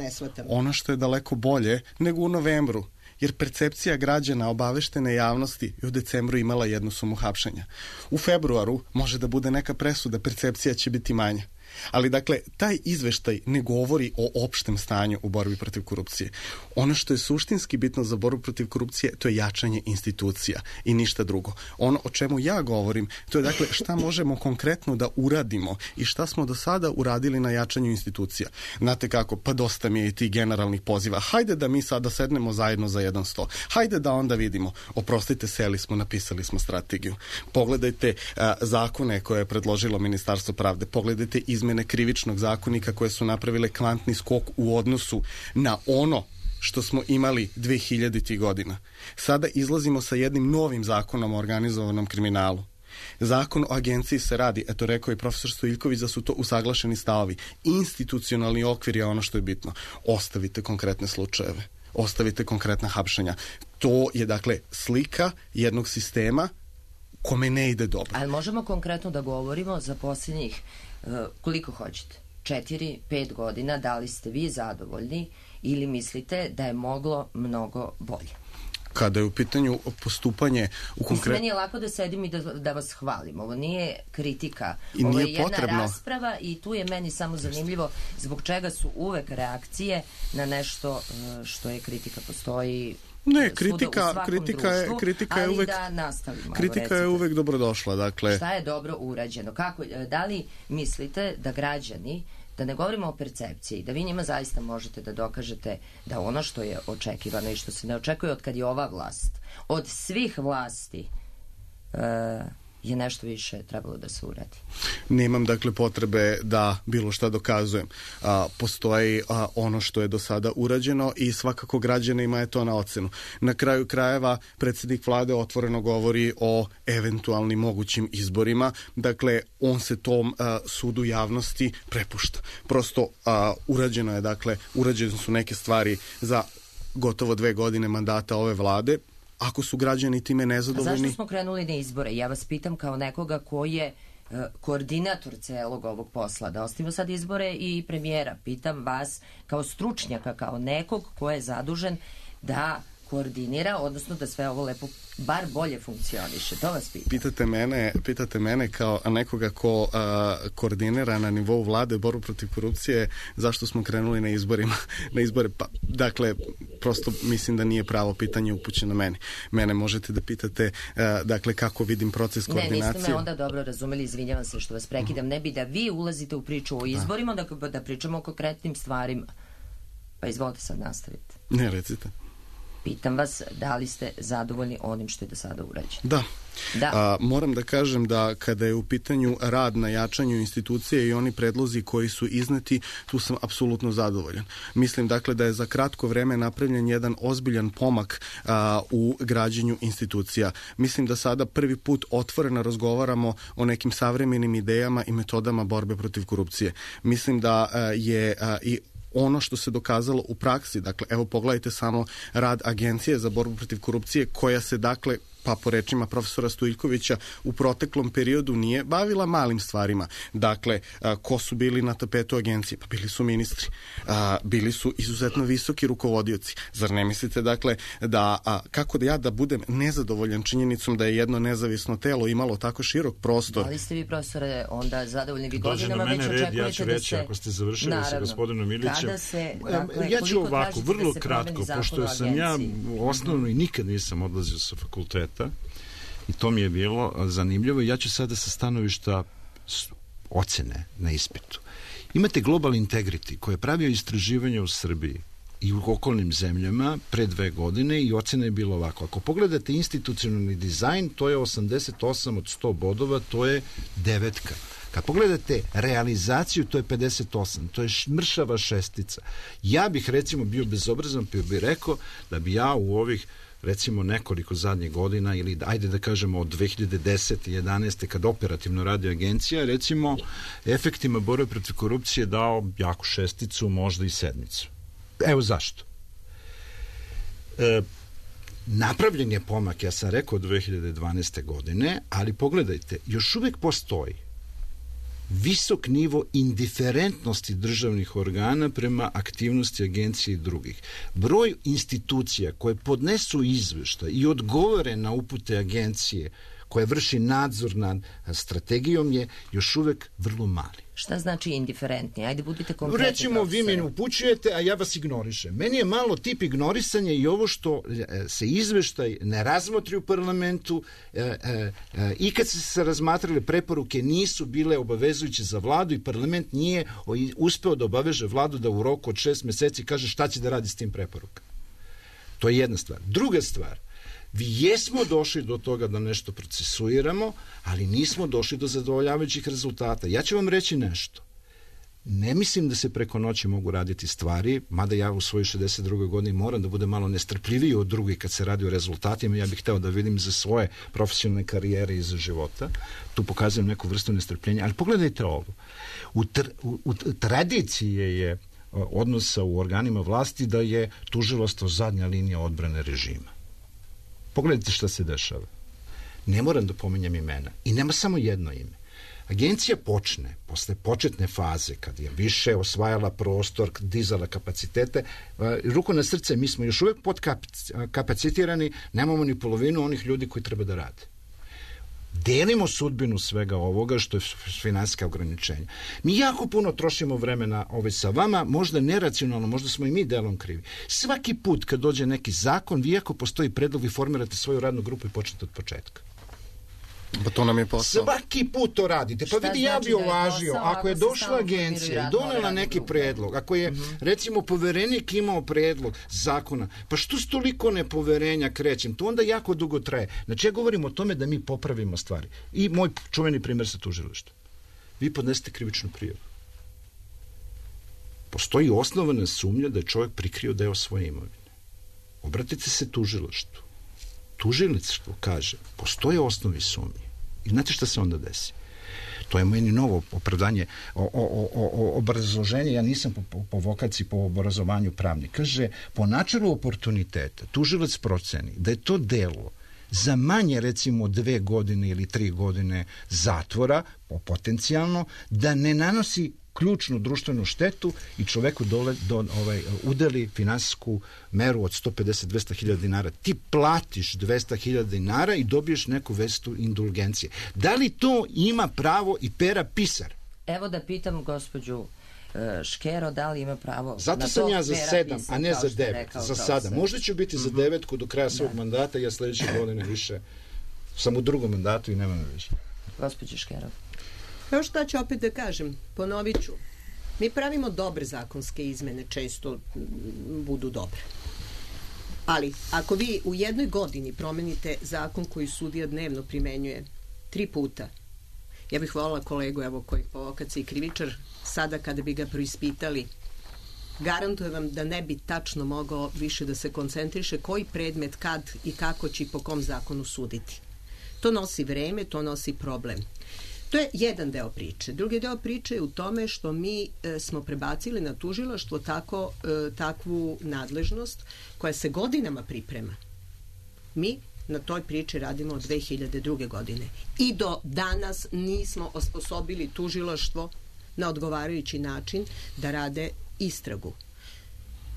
Speaker 4: ono što je daleko bolje nego u novembru. Jer percepcija građana obaveštene javnosti je u decembru imala jednu sumu hapšenja. U februaru može da bude neka presuda, percepcija će biti manja. Ali, dakle, taj izveštaj ne govori o opštem stanju u borbi protiv korupcije. Ono što je suštinski bitno za borbu protiv korupcije, to je jačanje institucija i ništa drugo. Ono o čemu ja govorim, to je, dakle, šta možemo konkretno da uradimo i šta smo do sada uradili na jačanju institucija. Znate kako, pa dosta mi je i tih generalnih poziva. Hajde da mi sada sednemo zajedno za jedan sto. Hajde da onda vidimo. Oprostite, seli smo, napisali smo strategiju. Pogledajte a, zakone koje je predložilo Ministarstvo pravde. Pogledajte izmene krivičnog zakonika koje su napravile kvantni skok u odnosu na ono što smo imali dve hiljaditih godina. Sada izlazimo sa jednim novim zakonom o organizovanom kriminalu. Zakon o agenciji se radi, eto rekao i profesor Stojiljković da su to usaglašeni stavovi. Institucionalni okvir je ono što je bitno. Ostavite konkretne slučajeve. Ostavite konkretna hapšenja. To je, dakle, slika jednog sistema kome ne ide dobro.
Speaker 2: Ali možemo konkretno da govorimo za posljednjih uh, koliko hoćete? Četiri, pet godina, da li ste vi zadovoljni ili mislite da je moglo mnogo bolje?
Speaker 4: Kada je u pitanju postupanje u konkretno...
Speaker 2: Meni je lako da sedim i da, da vas hvalim. Ovo nije kritika.
Speaker 4: I
Speaker 2: Ovo
Speaker 4: nije
Speaker 2: je jedna
Speaker 4: potrebno.
Speaker 2: rasprava i tu je meni samo zanimljivo zbog čega su uvek reakcije na nešto što je kritika. Postoji
Speaker 4: Ne, kritika, kritika je,
Speaker 2: društvu,
Speaker 4: kritika je uvek,
Speaker 2: da nastavimo,
Speaker 4: kritika je uvek dobrodošla. Dakle.
Speaker 2: Šta je dobro urađeno? Kako, da li mislite da građani, da ne govorimo o percepciji, da vi njima zaista možete da dokažete da ono što je očekivano i što se ne očekuje od kad je ova vlast, od svih vlasti, uh, je nešto više trebalo da se uradi?
Speaker 4: Nemam, dakle, potrebe da bilo šta dokazujem. A, postoji a, ono što je do sada urađeno i svakako građanima je to na ocenu. Na kraju krajeva predsjednik vlade otvoreno govori o eventualnim mogućim izborima. Dakle, on se tom a, sudu javnosti prepušta. Prosto a, urađeno je, dakle, urađene su neke stvari za gotovo dve godine mandata ove vlade. Ako su građani time nezadovoljni...
Speaker 2: A zašto smo krenuli na izbore? Ja vas pitam kao nekoga koji je uh, koordinator celog ovog posla. Da ostavimo sad izbore i premijera. Pitam vas kao stručnjaka, kao nekog ko je zadužen da koordinira, odnosno da sve ovo lepo bar bolje funkcioniše. To vas pitam.
Speaker 4: Pitate mene, pitate mene kao nekoga ko a, koordinira na nivou vlade borbu protiv korupcije, zašto smo krenuli na izborima, na izbore. Pa, dakle, prosto mislim da nije pravo pitanje upućeno meni. Mene možete da pitate, a, dakle, kako vidim proces koordinacije.
Speaker 2: Ne, niste me onda dobro razumeli, izvinjavam se što vas prekidam. Ne bi da vi ulazite u priču o izborima, da, da pričamo o konkretnim stvarima. Pa izvolite sad nastaviti.
Speaker 4: Ne, recite.
Speaker 2: Pitam vas da li ste zadovoljni onim što je do sada urađeno.
Speaker 4: Da.
Speaker 2: Da.
Speaker 4: A, moram da kažem da kada je u pitanju rad na jačanju institucije i oni predlozi koji su izneti, tu sam apsolutno zadovoljan. Mislim, dakle, da je za kratko vreme napravljen jedan ozbiljan pomak a, u građenju institucija. Mislim da sada prvi put otvoreno razgovaramo o nekim savremenim idejama i metodama borbe protiv korupcije. Mislim da a, je a, i ono što se dokazalo u praksi, dakle, evo pogledajte samo rad Agencije za borbu protiv korupcije koja se, dakle, pa po rečima profesora Stojljkovića, u proteklom periodu nije bavila malim stvarima. Dakle, a, ko su bili na tapetu agencije? Pa bili su ministri. A, bili su izuzetno visoki rukovodioci. Zar ne mislite, dakle, da a, kako da ja da budem nezadovoljan činjenicom da je jedno nezavisno telo imalo tako širok prostor?
Speaker 2: Da li ste vi, profesore, onda zadovoljni vi
Speaker 5: Dođe
Speaker 2: godinama,
Speaker 5: na
Speaker 2: već
Speaker 5: mene red,
Speaker 2: očekujete
Speaker 5: ja ću
Speaker 2: da
Speaker 5: reći,
Speaker 2: se...
Speaker 5: ako ste završili
Speaker 2: Naravno.
Speaker 5: sa gospodinom Ilićem.
Speaker 2: Kada se, dakle,
Speaker 5: ja ću ovako,
Speaker 2: tražite
Speaker 5: vrlo
Speaker 2: da se
Speaker 5: kratko,
Speaker 2: promeni zakon
Speaker 5: pošto
Speaker 2: o
Speaker 5: sam ja
Speaker 2: agenciji?
Speaker 5: osnovno i nikad nisam odlazio sa fakulteta i to mi je bilo zanimljivo. Ja ću sada sa stanovišta ocene na ispitu. Imate Global Integrity koji je pravio istraživanje u Srbiji i u okolnim zemljama pre dve godine i ocena je bila ovako. Ako pogledate institucionalni dizajn, to je osamdeset osam od sto bodova, to je devetka. Kad pogledate realizaciju, to je pedeset osam, to je mršava šestica. Ja bih recimo bio bezobrazan, pa bih rekao da bi ja u ovih recimo nekoliko zadnjih godina ili ajde da kažemo od dve hiljade desete i jedanaeste kad operativno radi agencija, recimo efektima borbe protiv korupcije dao jaku šesticu, možda i sedmicu. Evo zašto. E, napravljen je pomak, ja sam rekao od dve hiljade dvanaeste godine, ali pogledajte, još uvek postoji visok nivo indiferentnosti državnih organa prema aktivnosti agencije i drugih. Broj institucija koje podnesu izveštaj i odgovore na upute agencije koja vrši nadzor nad strategijom je još uvek vrlo mali.
Speaker 2: Šta znači indiferentni? Ajde, budite konkretni.
Speaker 5: Recimo, vi me upućujete, a ja vas ignorišem. Meni je malo tip ignorisanja i ovo što se izveštaj ne razmotri u parlamentu e, e, e, i kad se razmatrale preporuke nisu bile obavezujuće za vladu i parlament nije uspeo da obaveže vladu da u roku od šest meseci kaže šta će da radi s tim preporukama. To je jedna stvar. Druga stvar, vi jesmo došli do toga da nešto procesuiramo, ali nismo došli do zadovoljavajućih rezultata. Ja ću vam reći nešto. Ne mislim da se preko noći mogu raditi stvari, mada ja u svojoj šezdeset drugoj godini moram da budem malo nestrpljiviji od drugih kad se radi o rezultatima. Ja bih hteo da vidim za svoje profesionalne karijere i za života. Tu pokazujem neku vrstu nestrpljenja. Ali pogledajte ovo. U, tr, u, u tradiciji je odnosa u organima vlasti da je tužilaštvo zadnja linija odbrane režima. Pogledajte šta se dešava. Ne moram da pominjem imena. I nema samo jedno ime. Agencija počne, posle početne faze, kad je više osvajala prostor, dizala kapacitete, ruku na srce, mi smo još uvek podkapacitirani, nemamo ni polovinu onih ljudi koji treba da rade. Delimo sudbinu svega ovoga što je finansijska ograničenja. Mi jako puno trošimo vremena ovaj sa vama, možda neracionalno, možda smo i mi delom krivi. Svaki put kad dođe neki zakon, vi ako postoji predlog, vi formirate svoju radnu grupu i počnete od početka.
Speaker 4: Pa to nam je posao.
Speaker 5: Svaki put to radite. Pa vidi, ja bi ovažio, ako je došla agencija i donela neki predlog, ako je, recimo, poverenik imao predlog zakona, pa što s toliko nepoverenja krećem? To onda jako dugo traje. Znači, ja govorim o tome da mi popravimo stvari. I moj čuveni primer sa tužilaštvom. Vi podnesete krivičnu prijavu. Postoji osnovana sumnja da je čovjek prikrio deo svoje imovine. Obratite se tužilaštvu. Tužilaštvo kaže, postoje osnovi sumnje. I znate šta se onda desi? To je meni novo opravdanje, o, o, o, o obrazloženje, ja nisam po, po, po vokaciji, po obrazovanju pravnik. Kaže, po načelu oportuniteta, tužilac proceni da je to delo za manje, recimo, dve godine ili tri godine zatvora, potencijalno, da ne nanosi ključnu društvenu štetu i čoveku dole, do, ovaj, udeli finansijsku meru od sto pedeset do dvesta hiljada dinara. Ti platiš dvesta hiljada dinara i dobiješ neku vrstu indulgencije. Da li to ima pravo i Pera Pisar?
Speaker 2: Evo da pitam gospođu Škero, da li ima pravo
Speaker 5: zato
Speaker 2: na to?
Speaker 5: Zato sam ja za sedam,
Speaker 2: Pisar,
Speaker 5: a ne za devet. Za sada. Možda ću biti za devetku do kraja svog mandata, ja sledeće godine više sam u drugom mandatu i nemam više.
Speaker 2: Gospođo Škero.
Speaker 6: Evo šta ću opet da kažem, ponovit ću. Mi pravimo dobre zakonske izmene, često budu dobre. Ali, ako vi u jednoj godini promenite zakon koji sudija dnevno primenjuje tri puta, ja bih volila kolegu, evo, koji po vokaciji krivičar, sada kada bi ga proispitali, garantujem vam da ne bi tačno mogao više da se koncentriše koji predmet, kad i kako će i po kom zakonu suditi. To nosi vreme, to nosi problem. To je jedan deo priče. Drugi deo priče je u tome što mi e, smo prebacili na tužilaštvo tako, e, takvu nadležnost koja se godinama priprema. Mi na toj priči radimo od dve hiljade druge. godine. I do danas nismo osposobili tužilaštvo na odgovarajući način da rade istragu.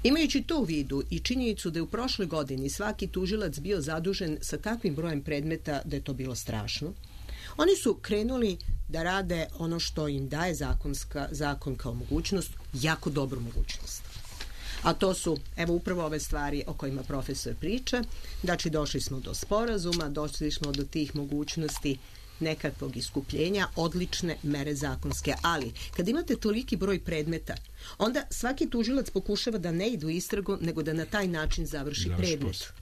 Speaker 6: Imajući to u vidu i činjenicu da je u prošloj godini svaki tužilac bio zadužen sa takvim brojem predmeta da je to bilo strašno, oni su krenuli da rade ono što im daje zakonska, zakon kao mogućnost, jako dobru mogućnost. A to su, evo upravo ove stvari o kojima profesor priča, znači došli smo do sporazuma, došli smo do tih mogućnosti nekakvog iskupljenja, odlične mere zakonske. Ali, kad imate toliki broj predmeta, onda svaki tužilac pokušava da ne ide u istragu, nego da na taj način završi predmet.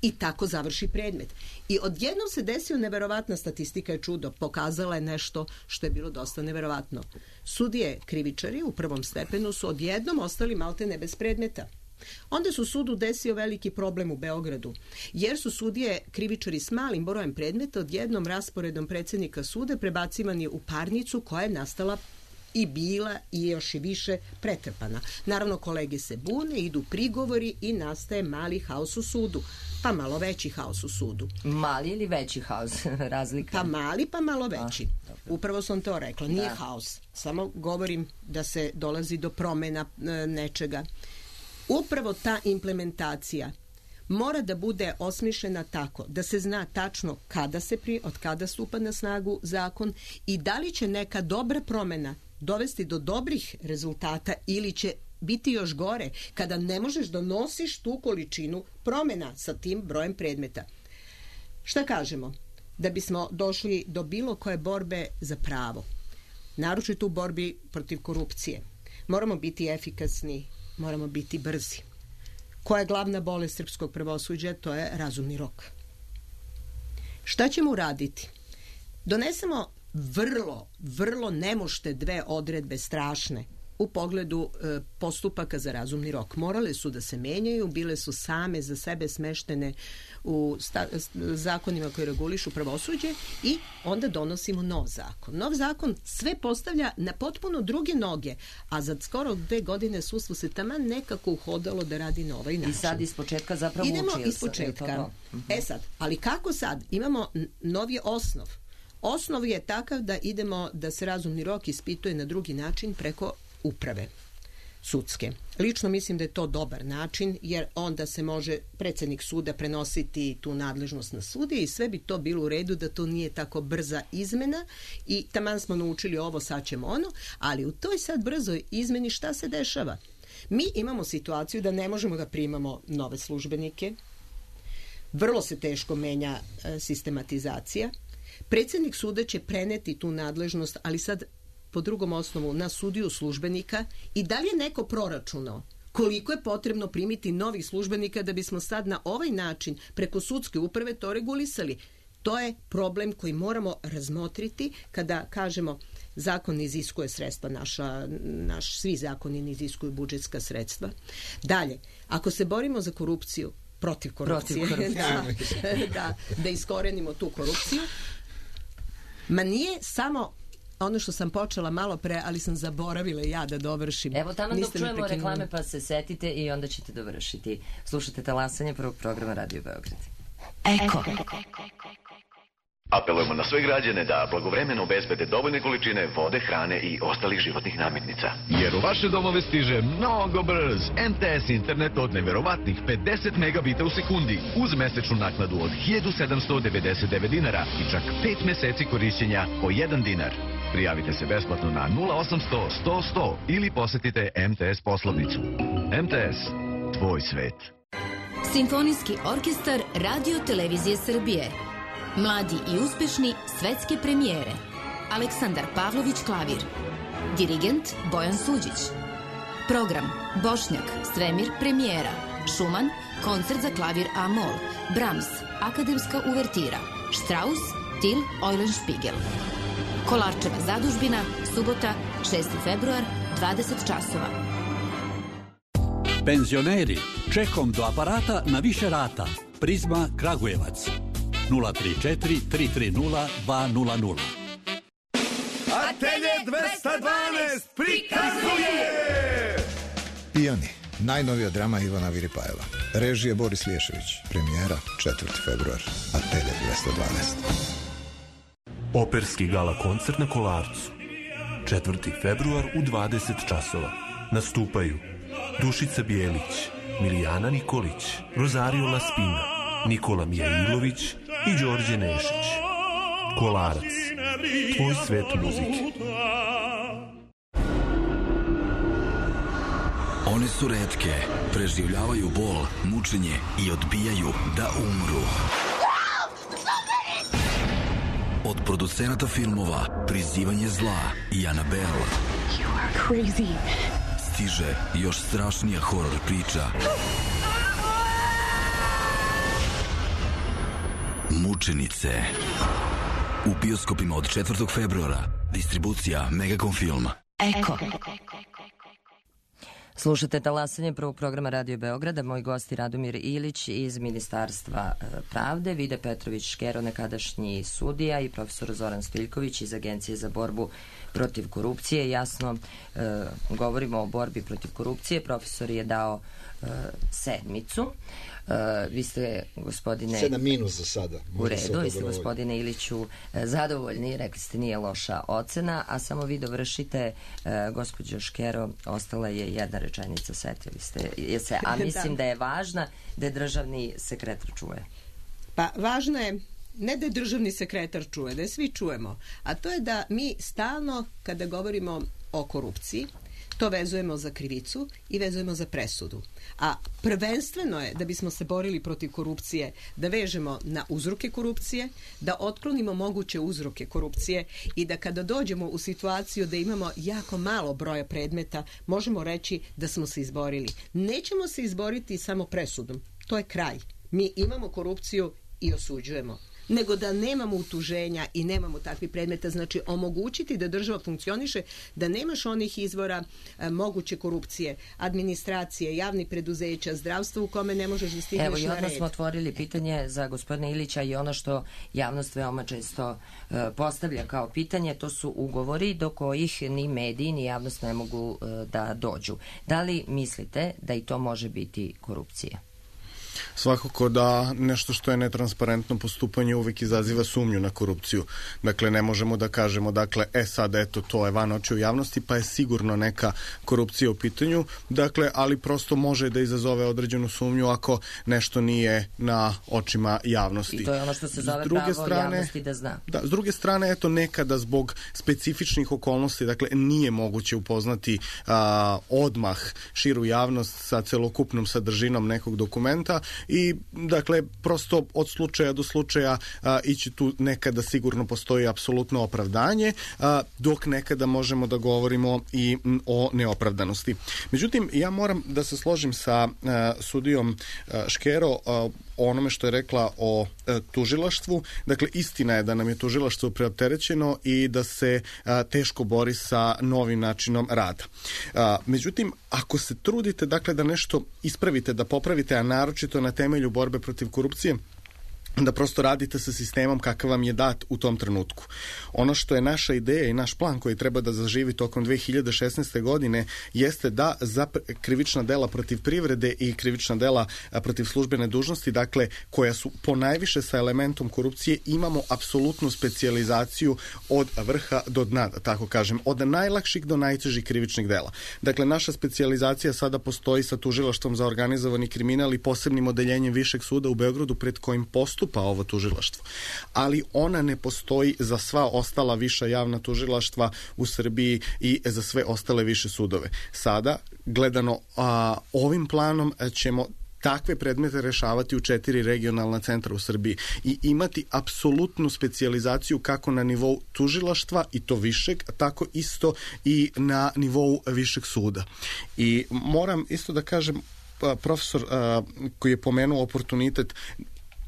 Speaker 6: I tako završi predmet. I odjednom se desio neverovatna statistika, je čudo, pokazala je nešto što je bilo dosta neverovatno. Sudije krivičari u prvom stepenu su odjednom ostali maltene bez predmeta. Onda su sudu desio veliki problem u Beogradu, jer su sudije krivičari s malim brojem predmeta odjednom rasporedom predsjednika suda prebacivani u parnicu koja je nastala i bila i još i više pretrpana. Naravno, kolege se bune, idu prigovori i nastaje mali haos u sudu, pa malo veći haos u sudu.
Speaker 2: Mali ili veći haos? Razlika?
Speaker 6: Pa mali, pa malo veći. A, upravo sam to rekla, nije da. haos. Samo govorim da se dolazi do promena e, nečega. Upravo ta implementacija mora da bude osmišljena tako da se zna tačno kada se pri, od kada stupa na snagu zakon i da li će neka dobra promena dovesti do dobrih rezultata ili će biti još gore kada ne možeš da nosiš tu količinu promena sa tim brojem predmeta. Šta kažemo? Da bismo došli do bilo koje borbe za pravo, naročito u borbi protiv korupcije, moramo biti efikasni, moramo biti brzi. Koja je glavna bolest srpskog pravosuđa? To je razumni rok. Šta ćemo uraditi? Donesemo vrlo, vrlo nemošte dve odredbe strašne u pogledu e, postupaka za razumni rok. Morale su da se menjaju, bile su same za sebe smeštene u sta, zakonima koji regulišu pravosuđe i onda donosimo nov zakon. Nov zakon sve postavlja na potpuno druge noge, a za skoro dve godine sudstvo se taman nekako uhodalo da radi na ovaj način.
Speaker 2: I sad iz početka zapravo
Speaker 6: Idemo
Speaker 2: učio
Speaker 6: iz početka. E sad, ali kako sad? Imamo novi osnov. Osnov je takav da idemo da se razumni rok ispituje na drugi način preko uprave sudske. Lično mislim da je to dobar način, jer onda se može predsjednik suda prenositi tu nadležnost na sudije i sve bi to bilo u redu da to nije tako brza izmena i taman smo naučili ovo, sad ćemo ono, ali u toj sad brzoj izmeni šta se dešava? Mi imamo situaciju da ne možemo da primamo nove službenike, vrlo se teško menja e, sistematizacija, predsjednik suda će preneti tu nadležnost, ali sad po drugom osnovu na sudiju službenika i da li je neko proračunao koliko je potrebno primiti novih službenika da bismo sad na ovaj način preko sudske uprave to regulisali. To je problem koji moramo razmotriti kada kažemo zakon iziskuje sredstva, naša, naš, svi zakoni ne iziskuju budžetska sredstva. Dalje, ako se borimo za korupciju, protiv korupcije, protiv korupcije. da, da, da iskorenimo tu korupciju, ma nije samo ono što sam počela malo pre, ali sam zaboravila ja da dovršim.
Speaker 2: Evo tamo dok čujemo reklame pa se setite i onda ćete dovršiti. Slušate Talasanje prvog programa Radio Beograd.
Speaker 7: Eko. Apelujemo na sve građane da blagovremeno obezbede dovoljne količine vode, hrane i ostalih životnih namirnica.
Speaker 8: Jer u vaše domove stiže mnogo brz M T S internet od neverovatnih pedeset megabita u sekundi uz mesečnu naknadu od hiljadu sedamsto devedeset devet dinara i čak pet meseci korišćenja po jedan dinar. Prijavite se besplatno na nula osamsto sto sto ili posetite M T S poslovnicu. M T S, tvoj svet.
Speaker 9: Simfonijski orkestar Radio Televizije Srbije. Mladi i uspešni svetske premijere. Aleksandar Pavlović klavir. Dirigent Bojan Suđić. Program Bošnjak, Svemir premijera. Šuman, koncert za klavir A-mol. Brahms, akademska uvertira. Strauss, Till Eulenspiegel. Kolarčeva zadužbina, subota, šesti februar, dvadeset časova.
Speaker 10: Penzioneri, čekom do aparata na više rata. Prizma Kragujevac. nula tri četiri tri tri nula dva nula nula.
Speaker 11: Atelje dvesta dvanaest prikazuje
Speaker 12: Pijani,
Speaker 11: Najnovija drama Ivana Viripajeva. Režije Boris Lješević. Premijera četvrti februar. Atelje dvesta dvanaest.
Speaker 12: Operski gala koncert na Kolarcu. četvrti februar u dvadeset časova. Nastupaju Dušica Bijelić, Milijana Nikolić, Rosario Laspina, Nikola Mijailović i Đorđe Nešić. Kolarac. Tvoj svet muzike.
Speaker 13: One su retke, preživljavaju bol, mučenje i odbijaju da umru. Od producenata filmova Prizivanje zla i Annabelle stiže još strašnija horor priča. Mučenice. U bioskopima od četvrtog februara. Distribucija Megacom Film.
Speaker 9: Eko.
Speaker 2: Slušate talasanje prvog programa Radio Beograda. Moji gosti Radomir Ilić iz Ministarstva pravde, Vide Petrović-Škero, nekadašnji sudija, i profesor Zoran Stojiljković iz Agencije za borbu protiv korupcije. Jasno, e, govorimo o borbi protiv korupcije. Profesor je dao e, sedmicu. Uh, vi ste, gospodine...
Speaker 5: Sedam minus za sada.
Speaker 2: U redu, vi ste, gospodine Iliću, zadovoljni, rekli ste nije loša ocena, a samo vi dovršite, uh, gospođo Škero, ostala je jedna rečenica, setili ste je se, a mislim da je važna, da je državni sekretar čuje.
Speaker 6: Pa važno je ne da je državni sekretar čuje, da je svi čujemo, a to je da mi stalno, kada govorimo o korupciji, to vezujemo za krivicu i vezujemo za presudu. A prvenstveno je, da bismo se borili protiv korupcije, da vežemo na uzroke korupcije, da otklonimo moguće uzroke korupcije i da kada dođemo u situaciju da imamo jako malo broja predmeta, možemo reći da smo se izborili. Nećemo se izboriti samo presudom. To je kraj. Mi imamo korupciju i osuđujemo. Nego da nemamo utuženja i nemamo takvih predmeta, znači omogućiti da država funkcioniše, da nemaš onih izvora e, moguće korupcije, administracije, javnih preduzeća, zdravstva u kome ne možeš da stigneš na red.
Speaker 2: Evo, i odmah smo otvorili pitanje za gospodina Ilića i ono što javnost veoma često e, postavlja kao pitanje, to su ugovori do kojih ni mediji ni javnost ne mogu e, da dođu. Da li mislite da i to može biti korupcija?
Speaker 4: Svakako da nešto što je netransparentno postupanje uvijek izaziva sumnju na korupciju. Dakle, ne možemo da kažemo, dakle, e sad, eto, to je van očiju javnosti, pa je sigurno neka korupcija u pitanju, dakle, ali prosto može da izazove određenu sumnju ako nešto nije na očima javnosti.
Speaker 2: I to je ono što se zove pravo strane, javnosti da zna.
Speaker 4: Da, s druge strane, eto, nekada zbog specifičnih okolnosti, dakle, nije moguće upoznati a, odmah širu javnost sa celokupnom sadržinom nekog dokumenta, i dakle prosto od slučaja do slučaja a, ići tu nekada sigurno postoji apsolutno opravdanje, a, dok nekada možemo da govorimo i m, o neopravdanosti. Međutim, ja moram da se složim sa a, sudijom a, Škero a, o onome što je rekla o e, tužilaštvu. Dakle, istina je da nam je tužilaštvo preopterećeno i da se a, teško bori sa novim načinom rada. A, međutim, ako se trudite, dakle, da nešto ispravite, da popravite, a naročito na temelju borbe protiv korupcije, da prosto radite sa sistemom kakav vam je dat u tom trenutku. Ono što je naša ideja i naš plan koji treba da zaživi tokom dve hiljade šesnaeste. godine jeste da za krivična dela protiv privrede i krivična dela protiv službene dužnosti, dakle, koja su ponajviše sa elementom korupcije, imamo apsolutnu specijalizaciju od vrha do dna, da tako kažem, od najlakših do najtežih krivičnih dela. Dakle, naša specijalizacija sada postoji sa tužilaštvom za organizovani kriminal i posebnim odeljenjem Višeg suda u Beogradu pred kojim postupa pa ovo tužilaštvo. Ali ona ne postoji za sva ostala viša javna tužilaštva u Srbiji i za sve ostale više sudove. Sada, gledano a, ovim planom, ćemo takve predmete rešavati u četiri regionalna centra u Srbiji i imati apsolutnu specijalizaciju kako na nivou tužilaštva i to višeg, tako isto i na nivou višeg suda. I moram isto da kažem, profesor a, koji je pomenuo oportunitet,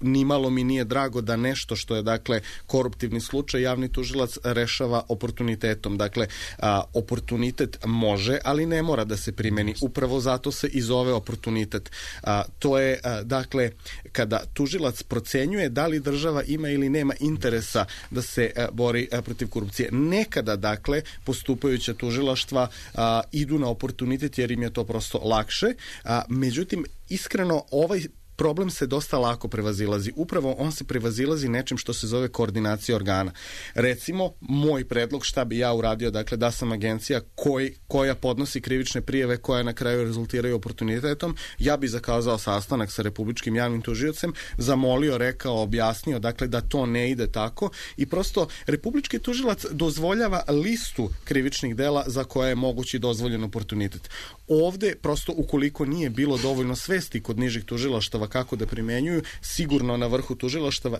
Speaker 4: nimalo mi nije drago da nešto što je dakle koruptivni slučaj javni tužilac rešava oportunitetom. Dakle, a, oportunitet može, ali ne mora da se primeni. Upravo zato se i zove oportunitet. A, to je, a, dakle, kada tužilac procenjuje da li država ima ili nema interesa da se a, bori a, protiv korupcije. Nekada, dakle, postupajuća tužilaštva a, idu na oportunitet jer im je to prosto lakše. A, međutim, iskreno, ovaj problem se dosta lako prevazilazi. Upravo on se prevazilazi nečim što se zove koordinacija organa. Recimo, moj predlog šta bi ja uradio, dakle da sam agencija koj, koja podnosi krivične prijave koja na kraju rezultiraju oportunitetom, ja bi zakazao sastanak sa republičkim javnim tužiocem, zamolio, rekao, objasnio, dakle da to ne ide tako i prosto republički tužilac dozvoljava listu krivičnih dela za koje je mogući dozvoljen oportunitet. Ovde, prosto, ukoliko nije bilo dovoljno svesti kod nižih tužilaštava kako da primenjuju, sigurno na vrhu tužilaštava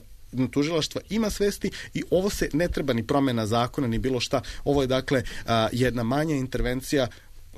Speaker 4: tužilaštva ima svesti i ovo se ne treba ni promena zakona ni bilo šta. Ovo je dakle a, jedna manja intervencija.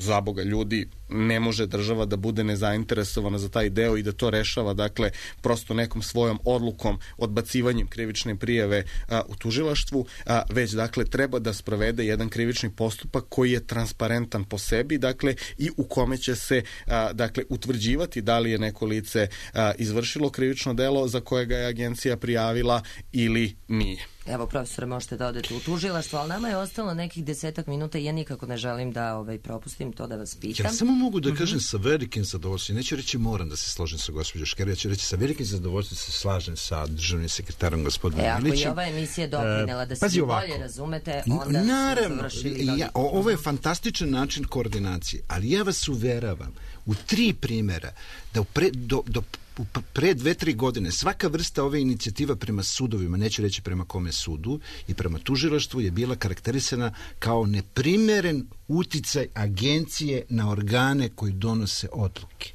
Speaker 4: Za Boga, ljudi, ne može država da bude nezainteresovana za taj deo i da to rešava, dakle, prosto nekom svojom odlukom, odbacivanjem krivične prijave a, u tužilaštvu, a, već, dakle, treba da sprovede jedan krivični postupak koji je transparentan po sebi, dakle, i u kome će se, a, dakle, utvrđivati da li je neko lice a, izvršilo krivično delo za koje ga je agencija prijavila ili nije.
Speaker 2: Evo, profesore, možete da odete u tužilaštvo, ali nama je ostalo nekih desetak minuta i ja nikako ne želim da ovaj, propustim to da vas pitam.
Speaker 5: Ja samo mogu da kažem sa velikim zadovoljstvom, neću reći moram da se složim sa gospođom Škero, ja ću reći sa velikim zadovoljstvom se slažem sa državnim sekretarom gospodinom
Speaker 2: e,
Speaker 5: Ilićem.
Speaker 2: Ako je ova emisija doprinela da se bolje razumete, onda
Speaker 5: naravno,
Speaker 2: su završili...
Speaker 5: Ja, ovo je fantastičan način koordinacije, ali ja vas uveravam u tri primjera da pre, do, do pre dve, tri godine svaka vrsta ove inicijativa prema sudovima, neću reći prema kome sudu, i prema tužilaštvu je bila karakterisana kao neprimeren uticaj agencije na organe koji donose odluke.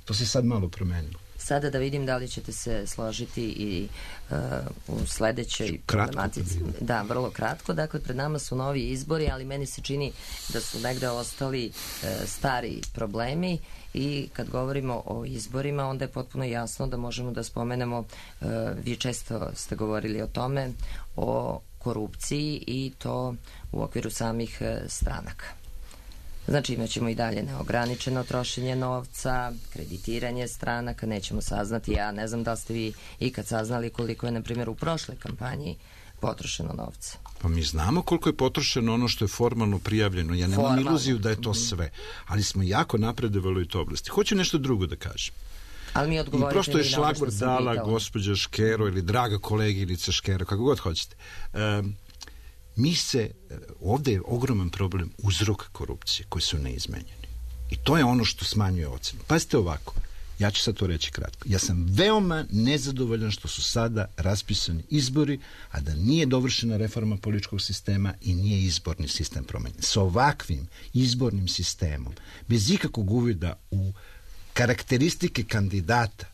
Speaker 5: To se sad malo promenilo.
Speaker 2: Sada da vidim da li ćete se složiti i uh, u sledećoj problematici. Da, vrlo kratko. Dakle, pred nama su novi izbori, ali meni se čini da su negde ostali uh, stari problemi i kad govorimo o izborima, onda je potpuno jasno da možemo da spomenemo, uh, vi često ste govorili o tome, o korupciji i to u okviru samih uh, stranaka. Znači imat ćemo i dalje neograničeno trošenje novca, kreditiranje stranaka, nećemo saznati, ja ne znam da ste vi ikad saznali koliko je, na primjer, u prošloj kampanji potrošeno novca.
Speaker 5: Pa mi znamo koliko je potrošeno ono što je formalno prijavljeno. Ja nemam formalno. iluziju da je to sve, ali smo jako napredovali u toj oblasti. Hoću nešto drugo da kažem.
Speaker 2: Ali mi odgovorite.
Speaker 5: I prosto je šlagvort dala gospođa Škero ili draga koleginica Škero, kako god hoćete. Um, Mi se, ovdje je ogroman problem uzrok korupcije koji su neizmenjeni. I to je ono što smanjuje ocenu. Pazite ovako, ja ću sad to reći kratko. Ja sam veoma nezadovoljan što su sada raspisani izbori, a da nije dovršena reforma političkog sistema i nije izborni sistem promenjen. S ovakvim izbornim sistemom, bez ikakvog uvida u karakteristike kandidata,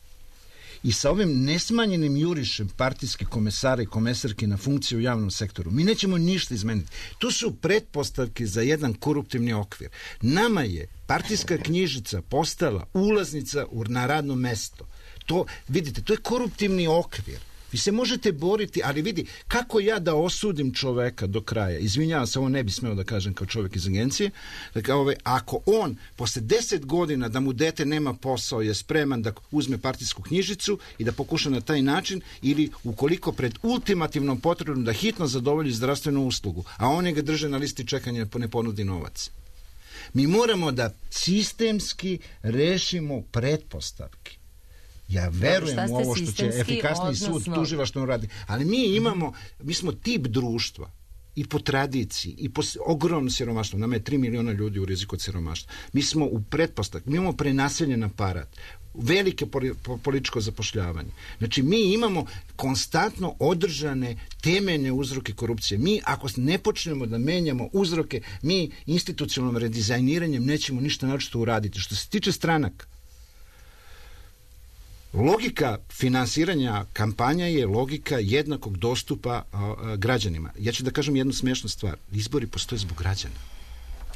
Speaker 5: i sa ovim nesmanjenim jurišem partijskih komesara i komesarki na funkciju u javnom sektoru, mi nećemo ništa izmeniti. To su pretpostavke za jedan koruptivni okvir. Nama je partijska knjižica postala ulaznica na radno mesto. To, vidite, to je koruptivni okvir. Vi se možete boriti, ali vidi, kako ja da osudim čoveka do kraja? Izvinjavam se, ovo ne bi smeo da kažem kao čovek iz agencije. Dakle, ove, ako on posle deset godina da mu dete nema posao je spreman da uzme partijsku knjižicu i da pokuša na taj način, ili ukoliko pred ultimativnom potrebom da hitno zadovolji zdravstvenu uslugu, a oni ga drže na listi čekanja ne ponudi novac. Mi moramo da sistemski rešimo pretpostavke. Ja verujem u ovo što će efikasniji sud tužilaštvo radi, ali mi imamo, mi smo tip društva i po tradiciji i po ogromnom siromaštvu. Nama je tri miliona ljudi u riziku od siromaštva. Mi smo u pretpostavku, mi imamo prenaseljen aparat, velike političko zapošljavanje. Znači, mi imamo konstantno održane temeljne uzroke korupcije. Mi, ako ne počnemo da menjamo uzroke, mi institucionalnim redizajniranjem nećemo ništa naročito uraditi. Što se tiče stranaka, logika finansiranja kampanja je logika jednakog dostupa a, a, građanima. Ja ću da kažem jednu smešnu stvar. Izbori postoje zbog građana.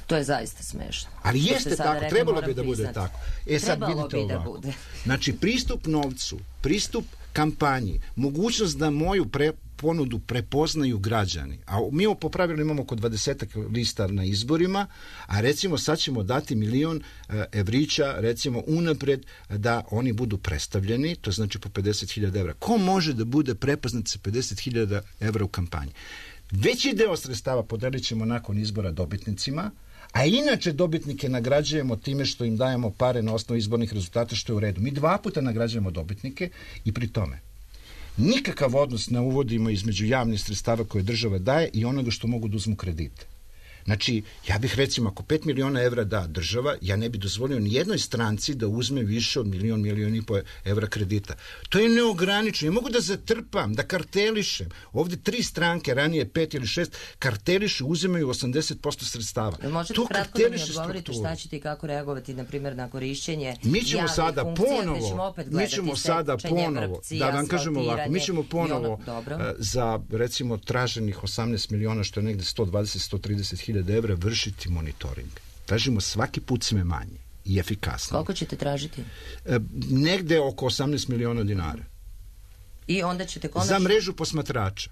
Speaker 2: To je zaista smešno.
Speaker 5: Ali jeste tako, trebalo bi da bude tako. E sad
Speaker 2: trebalo
Speaker 5: vidite
Speaker 2: bi
Speaker 5: ovako.
Speaker 2: Da bude.
Speaker 5: Znači, pristup novcu, pristup kampanji, mogućnost da moju pre, ponudu prepoznaju građani. A mi po pravilu imamo oko dvadesetak lista na izborima, a recimo sad ćemo dati milion evrića, recimo unapred, da oni budu predstavljeni, to znači po pedeset hiljada evra. Ko može da bude prepoznat sa pedeset hiljada evra u kampanji? Veći deo sredstava podelit ćemo nakon izbora dobitnicima, a inače dobitnike nagrađujemo time što im dajemo pare na osnovu izbornih rezultata, što je u redu. Mi dva puta nagrađujemo dobitnike i pri tome nikakav odnos ne uvodimo između javnih sredstava koje država daje i onoga što mogu da uzmu kredite. Znači, ja bih recimo, ako pet miliona evra da država, ja ne bih dozvolio ni jednoj stranci da uzme više od milion, milion i po evra kredita. To je neograničeno. Ja mogu da zatrpam, da kartelišem. Ovde tri stranke, ranije pet ili šest, karteliše, uzimaju osamdeset posto sredstava.
Speaker 2: Da možete
Speaker 5: to
Speaker 2: kratko da mi odgovorite šta ćete i kako reagovati, na primjer, na korišćenje
Speaker 5: mi ćemo
Speaker 2: javnih
Speaker 5: sada
Speaker 2: funkcija,
Speaker 5: ponovo,
Speaker 2: gde ćemo opet
Speaker 5: mi
Speaker 2: gledati
Speaker 5: ćemo sada ponovo,
Speaker 2: vrpci,
Speaker 5: da vam kažemo ovako, mi ćemo ponovo
Speaker 2: ono,
Speaker 5: za, recimo, traženih osamnaest miliona, što je negde sto dvadeset do sto trideset hiljada evra, vršiti monitoring. Tražimo svaki put sve manje i efikasno.
Speaker 2: Koliko ćete tražiti?
Speaker 5: E, negde oko osamnaest miliona dinara.
Speaker 2: I onda ćete konačno...
Speaker 5: Za mrežu posmatrača.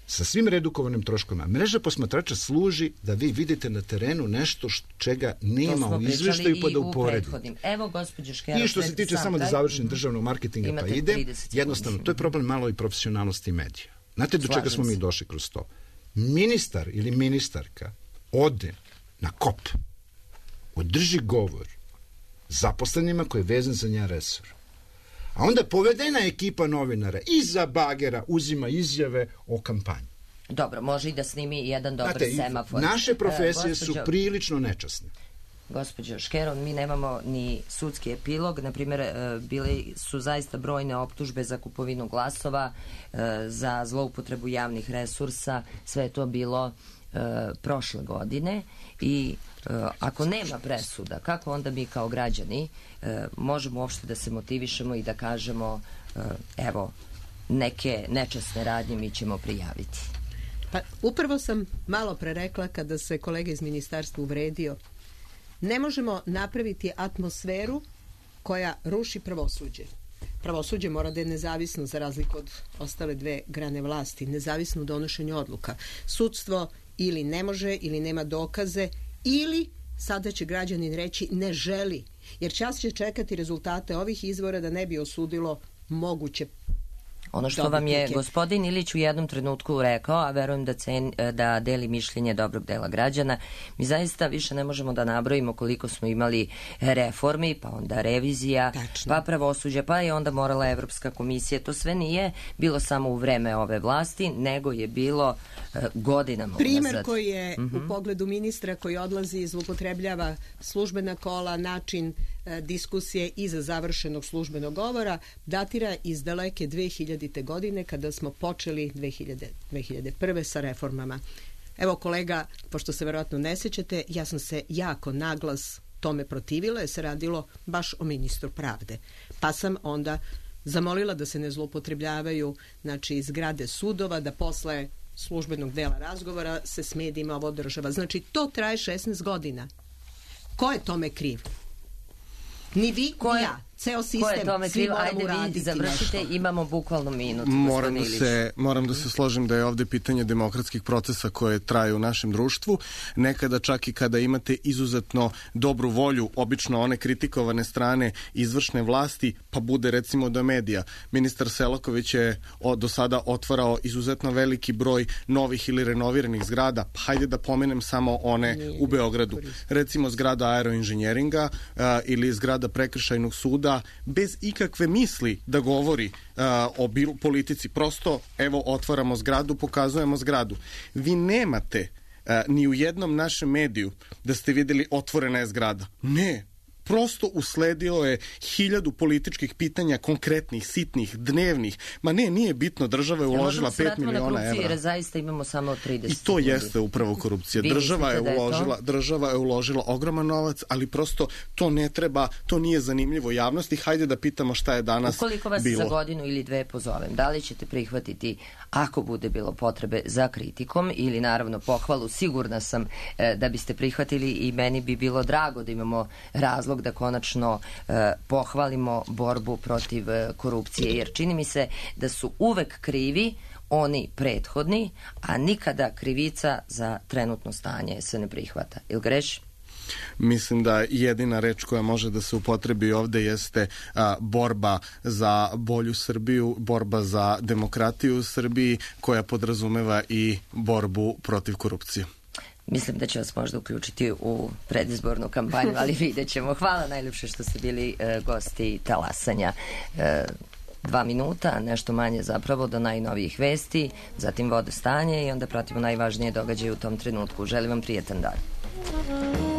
Speaker 5: Sa svim redukovanim troškovima. Mreža posmatrača služi da vi vidite na terenu nešto š, čega nema u izveštaju pa da uporedite.
Speaker 2: Evo, gospođo Škero...
Speaker 5: I što se tiče samo da završim državnog marketinga pa ide, jednostavno, to je problem malo i profesionalnosti medija. Znate do čega smo mi došli kroz to? Ministar ili ministarka ode na kop, održi govor zaposlenima koji je vezan za njen resor. A onda povedena ekipa novinara iza bagera uzima izjave o kampanji.
Speaker 2: Dobro, može i da snimi jedan dobar
Speaker 5: Znate,
Speaker 2: semafor.
Speaker 5: Naše profesije
Speaker 2: e, gospođo,
Speaker 5: su prilično nečasne.
Speaker 2: Gospođo Škero, mi nemamo ni sudski epilog. Naprimjer, bili su zaista brojne optužbe za kupovinu glasova, za zloupotrebu javnih resursa. Sve je to bilo prošle godine i ako nema presuda, kako onda mi kao građani možemo uopšte da se motivišemo i da kažemo evo, neke nečasne radnje mi ćemo prijaviti?
Speaker 6: Pa upravo sam malo pre rekla kada se kolega iz ministarstva uvredio. Ne možemo napraviti atmosferu koja ruši pravosuđe. Pravosuđe mora da je nezavisno za razliku od ostale dve grane vlasti, nezavisno u donošenju odluka. Sudstvo ili ne može, ili nema dokaze, ili sada će građanin reći ne želi, jer čas će čekati rezultate ovih izbora da ne bi osudilo moguće.
Speaker 2: Ono što vam je gospodin Ilić u jednom trenutku rekao, a verujem da, cen, da deli mišljenje dobrog dela građana, mi zaista više ne možemo da nabrojimo koliko smo imali reformi, pa onda revizija, Tačno. pa pravosuđe, pa je onda morala Evropska komisija. To sve nije bilo samo u vreme ove vlasti, nego je bilo uh, godinama
Speaker 6: Primer
Speaker 2: unazad.
Speaker 6: koji je
Speaker 2: uh-huh.
Speaker 6: u pogledu ministra koji odlazi i zloupotrebljava službena kola, način diskusije iza završenog službenog govora datira iz daleke dve hiljadite godine kada smo počeli dve hiljade prve sa reformama. Evo kolega, pošto se verovatno ne sjećate, ja sam se jako naglas tome protivila jer se radilo baš o ministru pravde. Pa sam onda zamolila da se ne zloupotrebljavaju znači zgrade sudova, da posle službenog dela razgovora se s medijima ovo održava. Znači to traje šesnaest godina. Ko je tome kriv? Ni vi,
Speaker 2: ko
Speaker 6: ni
Speaker 2: je,
Speaker 6: ja. Ceo sistem,
Speaker 2: ko je tome
Speaker 6: svi moramo
Speaker 2: Ajde
Speaker 6: uraditi
Speaker 2: vi završite,
Speaker 6: nešto.
Speaker 2: Imamo bukvalno minut.
Speaker 4: Moram da, se, moram da se složim da je ovde pitanje demokratskih procesa koje traju u našem društvu. Nekada čak i kada imate izuzetno dobru volju, obično one kritikovane strane izvršne vlasti, pa bude recimo do medija. Ministar Selaković je o, do sada otvarao izuzetno veliki broj novih ili renoviranih zgrada. Pa hajde da pomenem samo one Nije, u Beogradu. Recimo zgrada aeroinženjeringa a, ili zgrada prekršajnog suda, bez ikakve misli da govori uh, o bil, politici. Prosto, evo, otvaramo zgradu, pokazujemo zgradu. Vi nemate uh, ni u jednom našem mediju da ste videli otvorena je zgrada. Ne. Prosto usledio je hiljadu političkih pitanja, konkretnih, sitnih, dnevnih. Ma ne, nije bitno, država je uložila pet miliona evra.
Speaker 2: Jer zaista imamo samo trideset.
Speaker 4: I to jeste upravo korupcija. Država je, uložila, je država je uložila ogroman novac, ali prosto to ne treba, to nije zanimljivo javnosti. Hajde da pitamo šta je danas bilo.
Speaker 2: Ukoliko vas
Speaker 4: bilo.
Speaker 2: za godinu ili dve pozovem, da li ćete prihvatiti, ako bude bilo potrebe za kritikom ili naravno pohvalu, sigurna sam e, da biste prihvatili i meni bi bilo drago da imamo razlog razlog da konačno e, pohvalimo borbu protiv e, korupcije, jer čini mi se da su uvek krivi oni prethodni, a nikada krivica za trenutno stanje se ne prihvata. Ili greš?
Speaker 4: Mislim da jedina reč koja može da se upotrebi ovde jeste a, borba za bolju Srbiju, borba za demokratiju u Srbiji, koja podrazumeva i borbu protiv korupcije.
Speaker 2: Mislim da će vas možda uključiti u predizbornu kampanju, ali vidjet ćemo. Hvala najljepše što ste bili e, gosti Talasanja. E, dva minuta, nešto manje zapravo, do najnovijih vesti, zatim vode stanje i onda pratimo najvažnije događaje u tom trenutku. Želim vam prijetan dan.